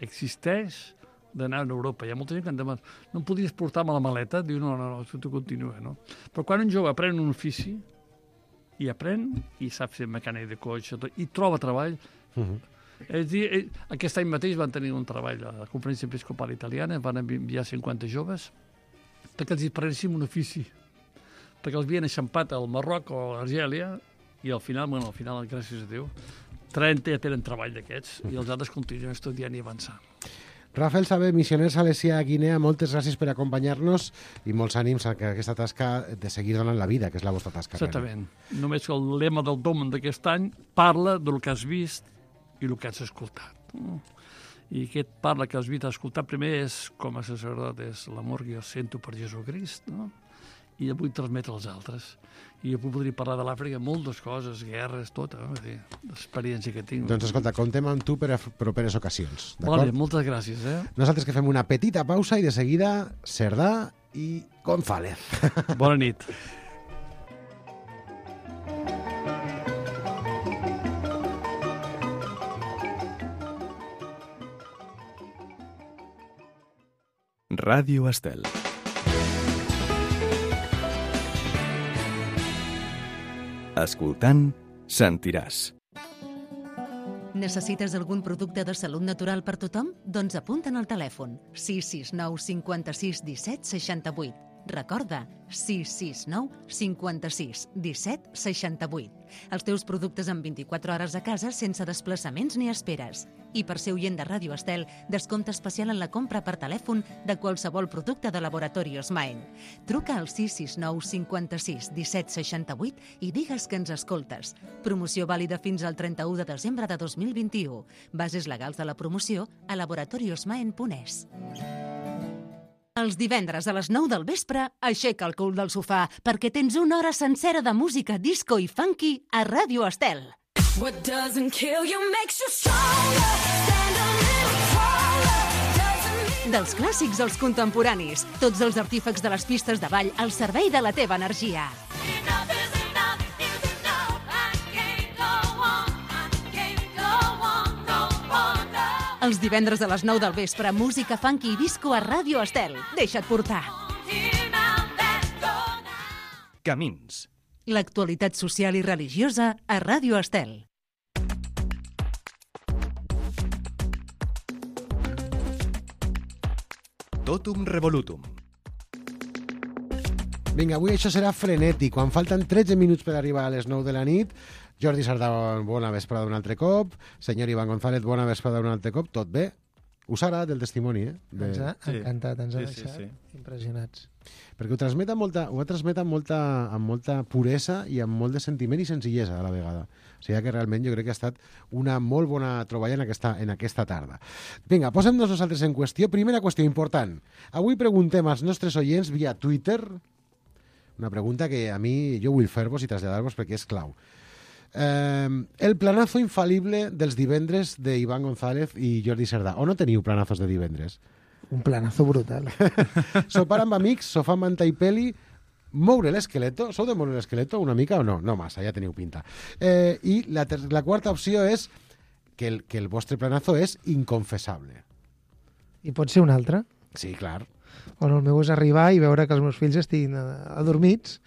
S9: existeix d'anar a Europa. Hi ha molta gent que em demana, no em podries portar-me la maleta? Diu, no, no, no, tu continua, no? Però quan un jove aprèn un ofici, i aprèn, i sap ser mecànic de cotxe, i troba treball, uh-huh. És dir, aquest any mateix van tenir un treball a la Conferència Episcopal Italiana, van enviar cinquanta joves, perquè els aprenguessin un ofici, perquè els havien eixampat al Marroc o a l'Argèlia, i al final, bueno, al final, gràcies a Déu, trenta ja tenen treball d'aquests, i els altres continuen estudiant i avançant.
S2: Rafael Saber, missioner salesià a Guinea, moltes gràcies per acompanyar-nos i molts ànims a aquesta tasca de seguir donant la vida, que és la vostra tasca.
S9: Exactament. Realment. Només que el lema del Domen d'aquest any parla del que has vist i el que has escoltat. I aquest parla que has vist i escoltat primer és, com a sacerdot, és l'amor que jo sento per Jesucrist, no? I el vull transmetre als altres. I jo podria parlar de l'Àfrica, moltes coses, guerres, tot, eh? L'experiència que tinc.
S2: Doncs escolta, comptem amb tu per a properes ocasions.
S9: Vale, moltes gràcies. Eh?
S2: Nosaltres que fem una petita pausa i de seguida Cerdà i González.
S9: Bona nit.
S1: Ràdio Estel. Escoltant, sentiràs.
S3: Necessites algun producte de salut natural per tothom? Doncs apunta'n al telèfon sis sis nou cinquanta-sis disset seixanta-vuit. Recorda, sis sis nou cinquanta-sis disset seixanta-vuit. Els teus productes en vint-i-quatre hores a casa sense desplaçaments ni esperes. I per ser oient de Ràdio Estel, descompte especial en la compra per telèfon de qualsevol producte de Laboratorios Maen. Truca al sis sis nou cinquanta-sis disset seixanta-vuit i digues que ens escoltes. Promoció vàlida fins al trenta-u de desembre de dos mil vint-i-u. Bases legals de la promoció a laboratoriosmaen punt es. Els divendres a les nou del vespre, aixeca el cul del sofà perquè tens una hora sencera de música disco i funky a Ràdio Estel. What doesn't kill you makes you stronger. Stand a little taller. Dels clàssics als contemporanis, tots els artífecs de les pistes de ball al servei de la teva energia. Els divendres a les nou del vespre, música funky i disco a Ràdio Estel. Deixa't portar.
S1: Camins.
S3: L'actualitat social i religiosa a Ràdio Estel.
S1: Totum revolutum.
S2: Vinga, avui això serà frenètic. Quan falten tretze minuts per arribar a les nou de la nit, Jordi Sardà, bona vesprada un altre cop. Senyor Iván González, bona vesprada un altre cop. Tot bé? Us ha agradat el testimoni, eh? De...
S8: Ens ha
S10: Sí.
S8: encantat, ens ha
S10: Sí, sí,
S8: deixat
S10: sí.
S8: impressionats.
S2: Perquè ho transmet amb molta, ho ha transmet amb molta, amb molta puresa i amb molt de sentiment i senzillesa a la vegada. O sigui que realment jo crec que ha estat una molt bona troballa en aquesta, en aquesta tarda. Vinga, posem-nos nosaltres en qüestió. Primera qüestió important. Avui preguntem als nostres oients via Twitter una pregunta que a mi jo vull fer-vos i traslladar-vos perquè és clau. Eh, el planazo infal·lible dels divendres d'Iván González i Jordi Sardà. O no teniu planazos de divendres?
S8: Un planazo brutal.
S2: Sopar amb amics, sofà, manta i peli, moure l'esqueleto. Sou de moure l'esqueleto una mica o no? No massa, ja teniu pinta. Eh, I la, ter- la quarta opció és que el, que el vostre planazo és inconfessable.
S8: I pot ser un altre?
S2: Sí, clar.
S8: O no, el meu és arribar i veure que els meus fills estiguin adormits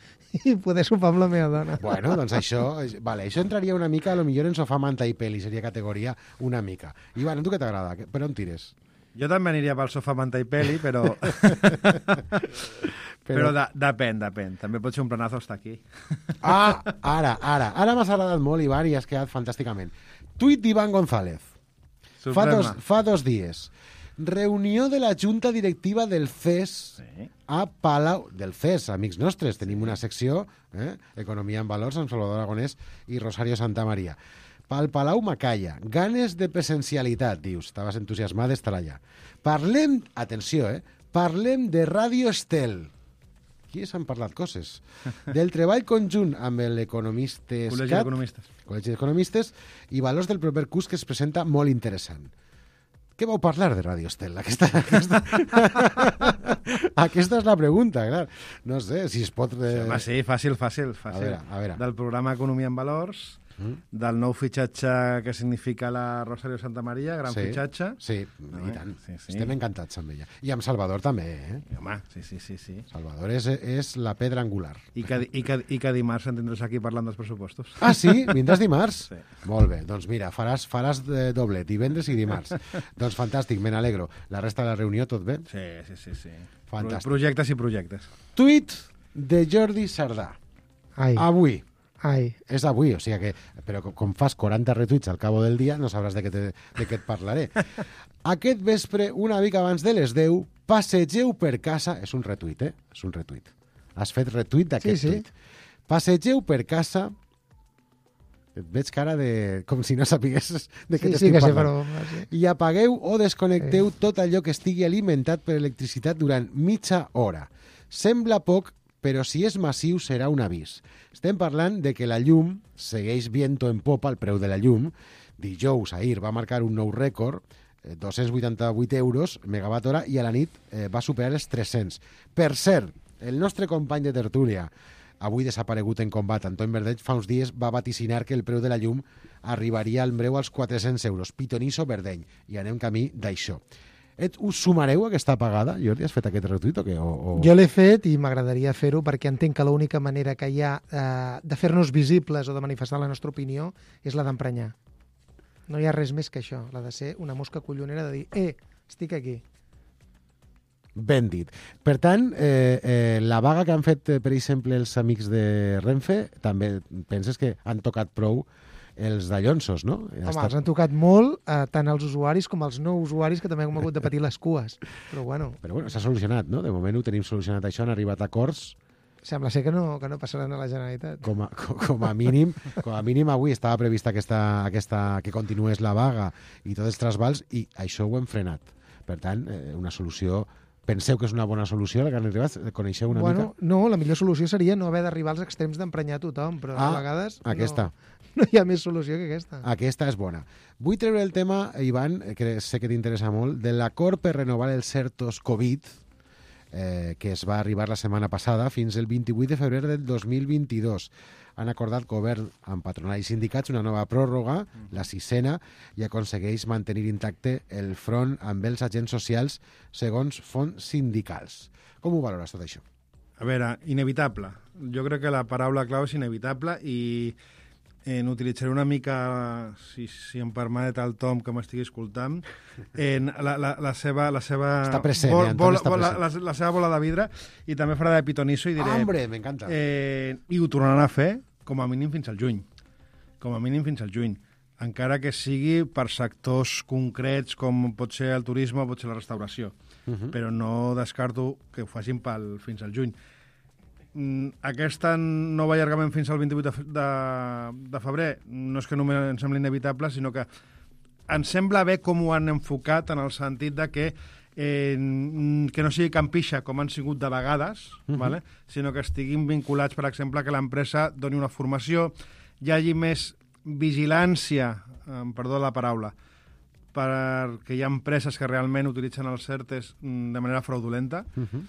S8: i poder sopar amb la meva dona.
S2: Bueno, doncs això, vale, això entraria una mica, a lo millor en sofà, manta i peli, seria categoria una mica. Ivan, tu què t'agrada? Per on tires?
S10: Jo també aniria pel sofà, manta i peli, però... però però de, depèn, depèn. També pot ser un planazo estar aquí.
S2: Ah, ara, ara. Ara m'has agradat molt, Ivan, i has quedat fantàsticament. Tuit d'Iván González. Fa dos, fa dos dies. Reunió de la Junta Directiva del C E S sí. a Palau... Del C E S, amics nostres. Tenim una secció, eh? Economia en valors, amb Salvador Aragonès i Rosario Santamaría. Pel Palau Macaya. Ganes de presencialitat, dius. Estaves entusiasmat d'estar allà. Parlem... Atenció, eh? Parlem de Ràdio Estel. Aquí s'han parlat coses. Del treball conjunt amb l'Economistes...
S10: Col·legi d'Economistes.
S2: Col·legi d'Economistes i valors del proper curs que es presenta molt interessant. Què vau parlar de Ràdio Estel? Aquesta, aquesta... aquesta és la pregunta, clar. No sé si es pot...
S10: Sí, home, sí, fàcil, fàcil. fàcil.
S2: A veure, a veure.
S10: Del programa Economia en Valors, mm. del nou fitxatge que significa la Rosario Santamaría, gran
S2: sí,
S10: fitxatge.
S2: Sí, no, i tant.
S10: Sí, sí.
S2: Estem encantats amb ella. I amb Salvador també, eh?
S10: I, home, sí, sí, sí, sí.
S2: Salvador és, és la pedra angular.
S10: I que, i, que, I que dimarts en tindràs aquí parlant dels pressupostos.
S2: Ah, sí? Vindràs dimarts?
S10: Sí.
S2: Molt bé, doncs mira, faràs, faràs de doblet, divendres i dimarts. Doncs fantàstic, me n'alegro. La resta de la reunió, tot bé?
S10: Sí, sí, sí. sí.
S2: Fantàstic.
S10: Projectes i projectes.
S2: Tuit de Jordi Sardà.
S8: Ai.
S2: Avui.
S8: Ai.
S2: És avui, o sigui que... Però com fas quaranta retuits al cabo del dia, no sabràs de què, te, de què et parlaré. Aquest vespre, una mica abans de les deu, passegeu per casa... És un retuit, eh? És un retuit. Has fet retuit d'aquest
S8: sí, sí.
S2: tuit. Passegeu per casa... Et veig cara de... com si no sapiguessis de què
S8: sí,
S2: t'estic
S8: sí, que
S2: parlant.
S8: Sí, però... sí.
S2: I apagueu o desconnecteu sí. tot allò que estigui alimentat per electricitat durant mitja hora. Sembla poc, però si és massiu serà un avís. Estem parlant de que la llum segueix viento en popa, el preu de la llum. Dijous, ahir, va marcar un nou rècord, dos-cents vuitanta-vuit euros megawatt hora, i a la nit eh, va superar els tres-cents. Per cert, el nostre company de tertúlia, avui desaparegut en combat, Antoni Verdeig, fa uns dies va vaticinar que el preu de la llum arribaria al breu als quatre-cents euros. Pitonisso Verdeny. I anem camí d'això. Et, us sumareu a aquesta pagada? Jordi, has fet aquest retuit o què? O, o...
S8: Jo l'he fet i m'agradaria fer-ho perquè entenc que l'única manera que hi ha eh, de fer-nos visibles o de manifestar la nostra opinió és la d'emprenyar. No hi ha res més que això, la de ser una mosca collonera de dir eh, estic aquí.
S2: Ben dit. Per tant, eh, eh, la vaga que han fet, per exemple, els amics de Renfe, també penses que han tocat prou els dallonsos, no?
S8: Home, estat... els han tocat molt, eh, tant els usuaris com els no usuaris, que també hem hagut de patir les cues. Però bueno...
S2: Però bueno, s'ha solucionat, no? De moment ho tenim solucionat això, han arribat a acords.
S8: Sembla ser que no, que no passaran a la Generalitat.
S2: Com a, com a mínim, com a mínim avui estava prevista aquesta, aquesta, que continués la vaga i tots els trasbals, i això ho hem frenat. Per tant, eh, una solució... Penseu que és una bona solució la que han arribat? Coneixeu una
S8: bueno,
S2: mica?
S8: No, la millor solució seria no haver d'arribar als extrems d'emprenyar tothom, però
S2: ah,
S8: a vegades
S2: aquesta.
S8: No, no hi ha més solució que aquesta.
S2: Aquesta és bona. Vull treure el tema, Ivan, que sé que t'interessa molt, de l'acord per renovar els certos Covid, eh, que es va arribar la setmana passada fins el vint-i-vuit de febrer del dos mil vint-i-dos. Han acordat govern amb patronal i sindicats una nova pròrroga, la sisena, i aconsegueix mantenir intacte el front amb els agents socials segons fonts sindicals. Com ho valores tot això?
S10: A veure, inevitable. Jo crec que la paraula clau és inevitable i en utilitzaré una mica, si, si em permet el Tom que m'estigui escoltant, en la, la, la seva... La seva
S2: està present,
S10: bol,
S2: eh,
S10: bol,
S2: està
S10: bol,
S2: present.
S10: La, la, la seva bola de vidre, i també farà de pitonisso i diré...
S2: Ah, hombre, m'encanta.
S10: Eh, I ho tornaran a fer com a mínim fins al juny. Com a mínim fins al juny. Encara que sigui per sectors concrets com pot ser el turisme o pot ser la restauració. Uh -huh. Però no descarto que ho facin pel, fins al juny. Aquest nou allargament fins al vint-i-vuit de, de, de febrer no és que només ens sembli inevitable, sinó que ens sembla bé com ho han enfocat, en el sentit de que eh, que no sigui campixa com han sigut de vegades, uh -huh. vale? Sinó que estiguin vinculats, per exemple, que l'empresa doni una formació, hi hagi més vigilància, eh, perdó la paraula, perquè hi ha empreses que realment utilitzen els certes de manera fraudulenta, uh -huh.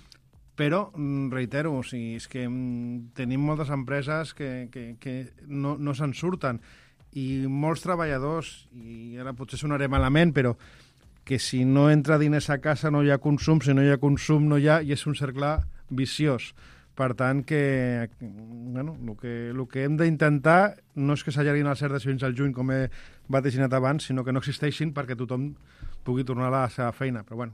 S10: però, reitero, o sigui, és que tenim moltes empreses que, que, que no, no se'n surten, i molts treballadors, i ara potser sonaré malament, però que si no entra diners a casa no hi ha consum, si no hi ha consum no hi ha, i és un cercle viciós. Per tant, que, bueno, el que, el que hem d'intentar no és que s'allarguin els certes fins al juny, com he vaticinat abans, sinó que no existeixin perquè tothom pugui tornar a la seva feina. Però bueno,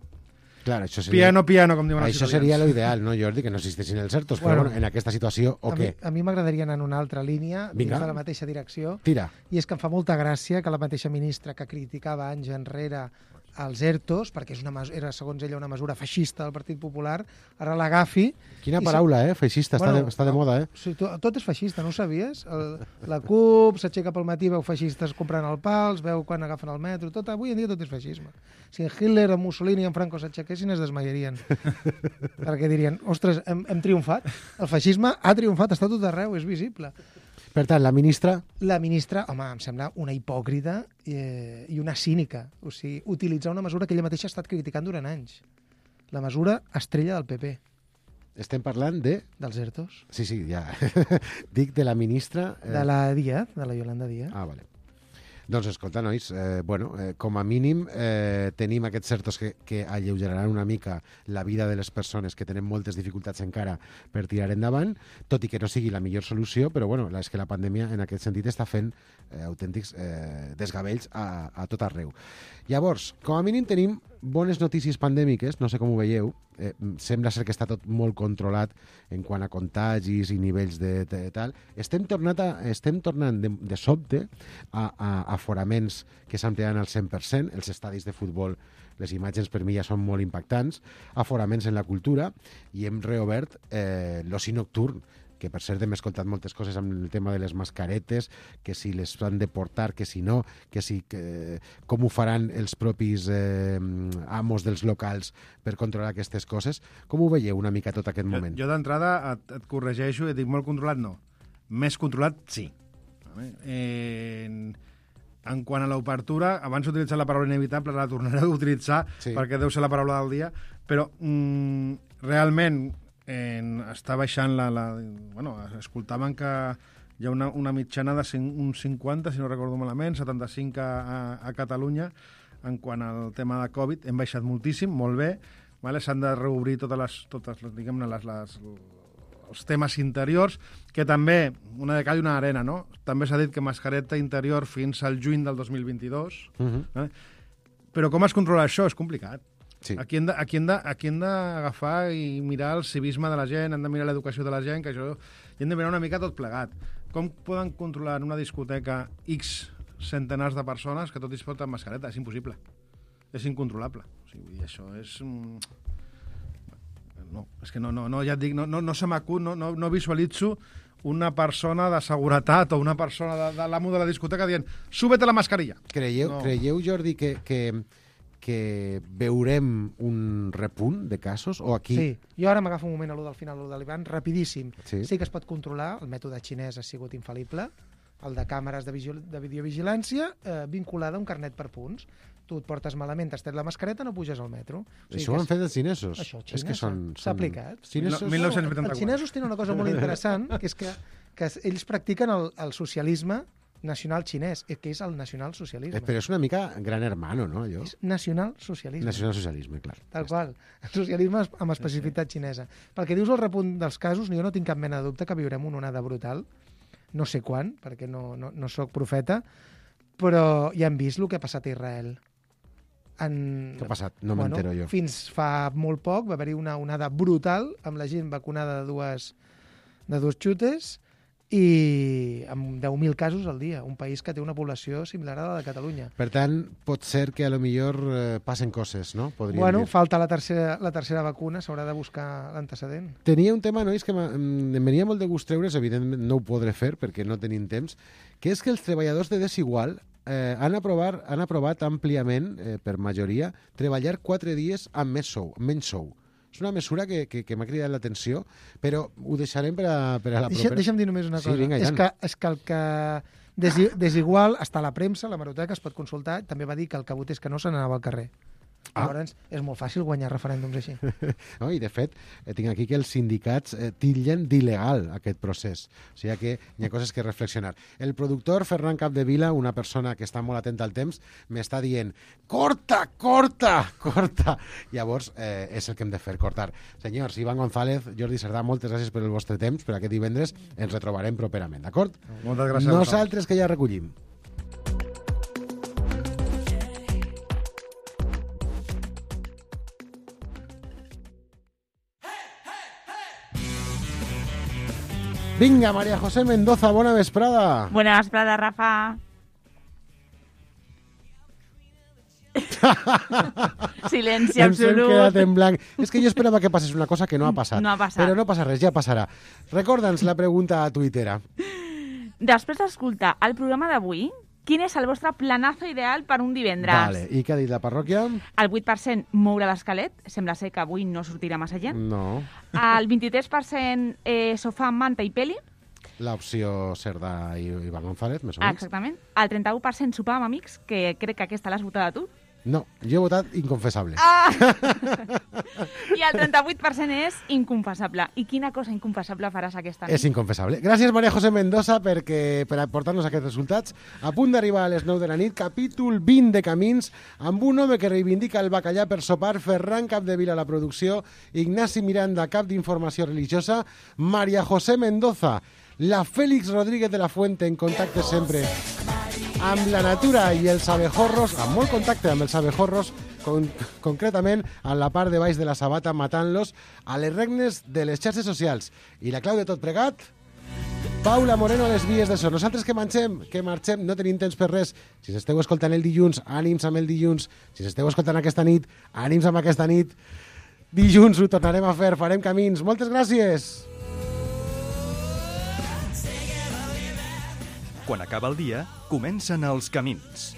S2: clar, això seria...
S10: piano, piano, com diuen els
S2: Això seria l'ideal, no, Jordi? Que no existeixin els certos, bueno, però bueno, en aquesta situació, o
S8: a
S2: què?
S8: Mi, a mi m'agradaria anar en una altra línia, dins de la mateixa direcció.
S2: Tira.
S8: I és que em fa molta gràcia que la mateixa ministra que criticava anys enrere els ERTOs, perquè és una, era, segons ella, una mesura feixista del Partit Popular, ara l'agafi...
S2: Quina paraula, si... eh? Feixista, bueno, està, de, està de moda, eh?
S8: Sí, tot, tot és feixista, no ho sabies? El, la CUP s'aixeca pel matí, veu feixistes comprant el pa, els veu quan agafen el metro, tot, avui en dia tot és feixisme. Si en Hitler, en Mussolini i en Franco s'aixequessin, es desmaiarien. Perquè dirien, ostres, hem, hem triomfat, el feixisme ha triomfat, està tot arreu, és visible.
S2: Per tant, la ministra...
S8: La ministra, home, em sembla una hipòcrita eh, i una cínica. O sigui, utilitzar una mesura que ella mateixa ha estat criticant durant anys. La mesura estrella del P P.
S2: Estem parlant de...
S8: Dels ERTOs.
S2: Sí, sí, ja. Dic de la ministra...
S8: Eh... De la Díaz, de la Yolanda Díaz.
S2: Ah, vale. Doncs escolta, nois, eh, bueno, eh, com a mínim eh, tenim aquests certos que, que alleugeraran una mica la vida de les persones que tenen moltes dificultats encara per tirar endavant, tot i que no sigui la millor solució, però bueno, és que la pandèmia en aquest sentit està fent eh, autèntics eh, desgavells a, a tot arreu. Llavors, com a mínim tenim bones notícies pandèmiques, no sé com ho veieu, eh, sembla ser que està tot molt controlat en quant a contagis i nivells de, de, de tal. Estem, tornat a, estem tornant de, de sobte a, a, a aforaments que s'ampliaran al cent per cent. Els estadis de futbol, les imatges per mi ja són molt impactants, aforaments en la cultura, i hem reobert eh, l'oci nocturn, que per cert hem escoltat moltes coses amb el tema de les mascaretes, que si les han de portar, que si no, que si que, com ho faran els propis eh, amos dels locals per controlar aquestes coses. Com ho veieu una mica tot aquest moment?
S10: Jo, jo d'entrada et, et corregeixo i et dic molt controlat, no. Més controlat, sí. Eh, en, en quant a l'obertura, abans he utilitzat la paraula inevitable, la tornaré a utilitzar sí. perquè deu ser la paraula del dia, però mm, realment En, està baixant la, la... Bueno, escoltaven que hi ha una, una mitjana de cinc, un cinquanta, si no recordo malament, setanta-cinc a, a, a Catalunya, en quant al tema de Covid. Hem baixat moltíssim, molt bé. Vale? S'han de reobrir totes les, totes les, diguem-ne, les, les, els temes interiors, que també, una de cal i una arena, no? També s'ha dit que mascareta interior fins al juny del dos mil vint-i-dos. Uh-huh. eh? Però com es controla això? És complicat. Sí. Aquí hem, de, aquí, hem de, aquí hem d'agafar i mirar el civisme de la gent, hem de mirar l'educació de la gent, que això, i hem de mirar una mica tot plegat. Com poden controlar en una discoteca X centenars de persones que tot es pot amb mascareta? És impossible. És incontrolable. O sigui, això és... No, és que no, no, no ja et dic, no, no, no se m'acut, no, no, no visualitzo una persona de seguretat o una persona de, de l'amo de la discoteca dient súbete la mascarilla.
S2: Creieu, no. creieu Jordi, que... que... que veurem un repunt de casos? O aquí...
S8: Sí, jo ara m'agafo un moment a lo del final, a lo de l'Ivan, rapidíssim.
S2: Sí.
S8: sí que es pot controlar, el mètode xinès ha sigut infal·lible, el de càmeres de, vigil de videovigilància eh, vinculada a un carnet per punts. Tu et portes malament, t'has tret la mascareta, no puges al metro. O sigui
S2: això ho han
S8: és...
S2: fet els xinesos.
S8: Això,
S2: és que són...
S8: S'ha aplicat.
S2: Xinesos...
S10: mil nou-cents vuitanta-quatre.
S8: Els xinesos tenen una cosa molt interessant, que és que, que ells practiquen el, el socialisme nacional xinès, que és el nacional-socialisme.
S2: Però és una mica gran hermano, no, allò?
S8: És nacional-socialisme.
S2: Nacional-socialisme, clar.
S8: Tal qual. El socialisme amb especificitat xinesa. Pel que dius el repunt dels casos, jo no tinc cap mena de dubte que viurem una onada brutal. No sé quan, perquè no, no, no sóc profeta, però ja hem vist el que ha passat a Israel. En...
S2: Què ha passat? No
S8: bueno,
S2: m'entero jo.
S8: Fins fa molt poc va haver-hi una onada brutal amb la gent vacunada de dues, de dos xutes, i amb deu mil casos al dia, un país que té una població similar a la de Catalunya.
S2: Per tant, pot ser que a lo millor eh, passen coses, no? Podríem
S8: bueno,
S2: dir.
S8: falta la tercera, la tercera vacuna, s'haurà de buscar l'antecedent.
S2: Tenia un tema, nois, que em venia molt de gust treure's, evidentment no ho podré fer perquè no tenim temps, que és que els treballadors de Desigual eh, han, aprovar, han aprovat àmpliament, eh, per majoria, treballar quatre dies amb més sou, amb menys sou. És una mesura que, que, que m'ha cridat l'atenció, però ho deixarem per a, per a la
S8: Deixa,
S2: propera.
S8: Deixa'm dir només una
S2: sí,
S8: cosa.
S2: Vinga,
S8: és, que, és que el que desi, desigual està a la premsa, a la Hemeroteca, es pot consultar, també va dir que el que votés que no se n'anava al carrer. Ah. Llavors, és molt fàcil guanyar referèndums així.
S2: No, i, de fet, eh, tinc aquí que els sindicats eh, titllen d'il·legal aquest procés. O sigui que hi ha coses que reflexionar. El productor Ferran Capdevila, una persona que està molt atenta al temps, m'està dient corta, corta, corta. Llavors, eh, és el que hem de fer, cortar. Senyors, Ivan González, Jordi Cerdà, moltes gràcies per el vostre temps, per aquest divendres. Ens retrobarem properament, d'acord?
S10: Moltes gràcies.
S2: Nosaltres que ja recollim. Vinga, María José Mendoza, bona vesprada.
S11: Bona vesprada, Rafa. Silenci absolut.
S2: Ens hem quedat en blanc. És que jo esperava que passés una cosa que no ha passat.
S11: No ha passat.
S2: Però no passa res, ja passarà. Recorda'ns la pregunta a Twitter.
S11: Després d'escoltar el programa d'avui, quin és el vostre planazo ideal per un divendres?
S2: Vale. I què ha dit la parròquia?
S11: El vuit per cent moure l'esquelet. Sembla ser que avui no sortirà massa gent.
S2: No.
S11: El vint-i-tres per cent eh, sofà, manta i peli.
S2: L'opció Cerdà i Ivan González, més o menys.
S11: Exactament. El trenta-u per cent sopar amb amics, que crec que aquesta l'has votat a tu.
S2: No, jo he votat inconfessable.
S11: Ah! I el trenta-vuit per cent és inconfessable. I quina cosa inconfessable faràs aquesta nit?
S2: És inconfessable. Gràcies, María José Mendoza, perquè, per aportar-nos aquests resultats. A punt d'arribar a les nou de la nit, capítol vint de Camins, amb un home que reivindica el bacallà per sopar, Ferran Capdevila a la producció, Ignasi Miranda, cap d'informació religiosa, María José Mendoza, la Félix Rodríguez de la Fuente, en contacte sempre amb la natura i els abejorros, amb molt contacte amb els abejorros, con, concretament en la part de baix de la sabata, matant-los a les regnes de les xarxes socials. I la clau de tot plegat? Paula Moreno a les vies de so. Nosaltres que marxem, que marxem, no tenim temps per res. Si s'esteu escoltant el dilluns, ànims amb el dilluns. Si s'esteu escoltant aquesta nit, ànims amb aquesta nit. Dilluns ho tornarem a fer, farem camins. Moltes gràcies!
S1: Quan acaba el dia, comencen els camins.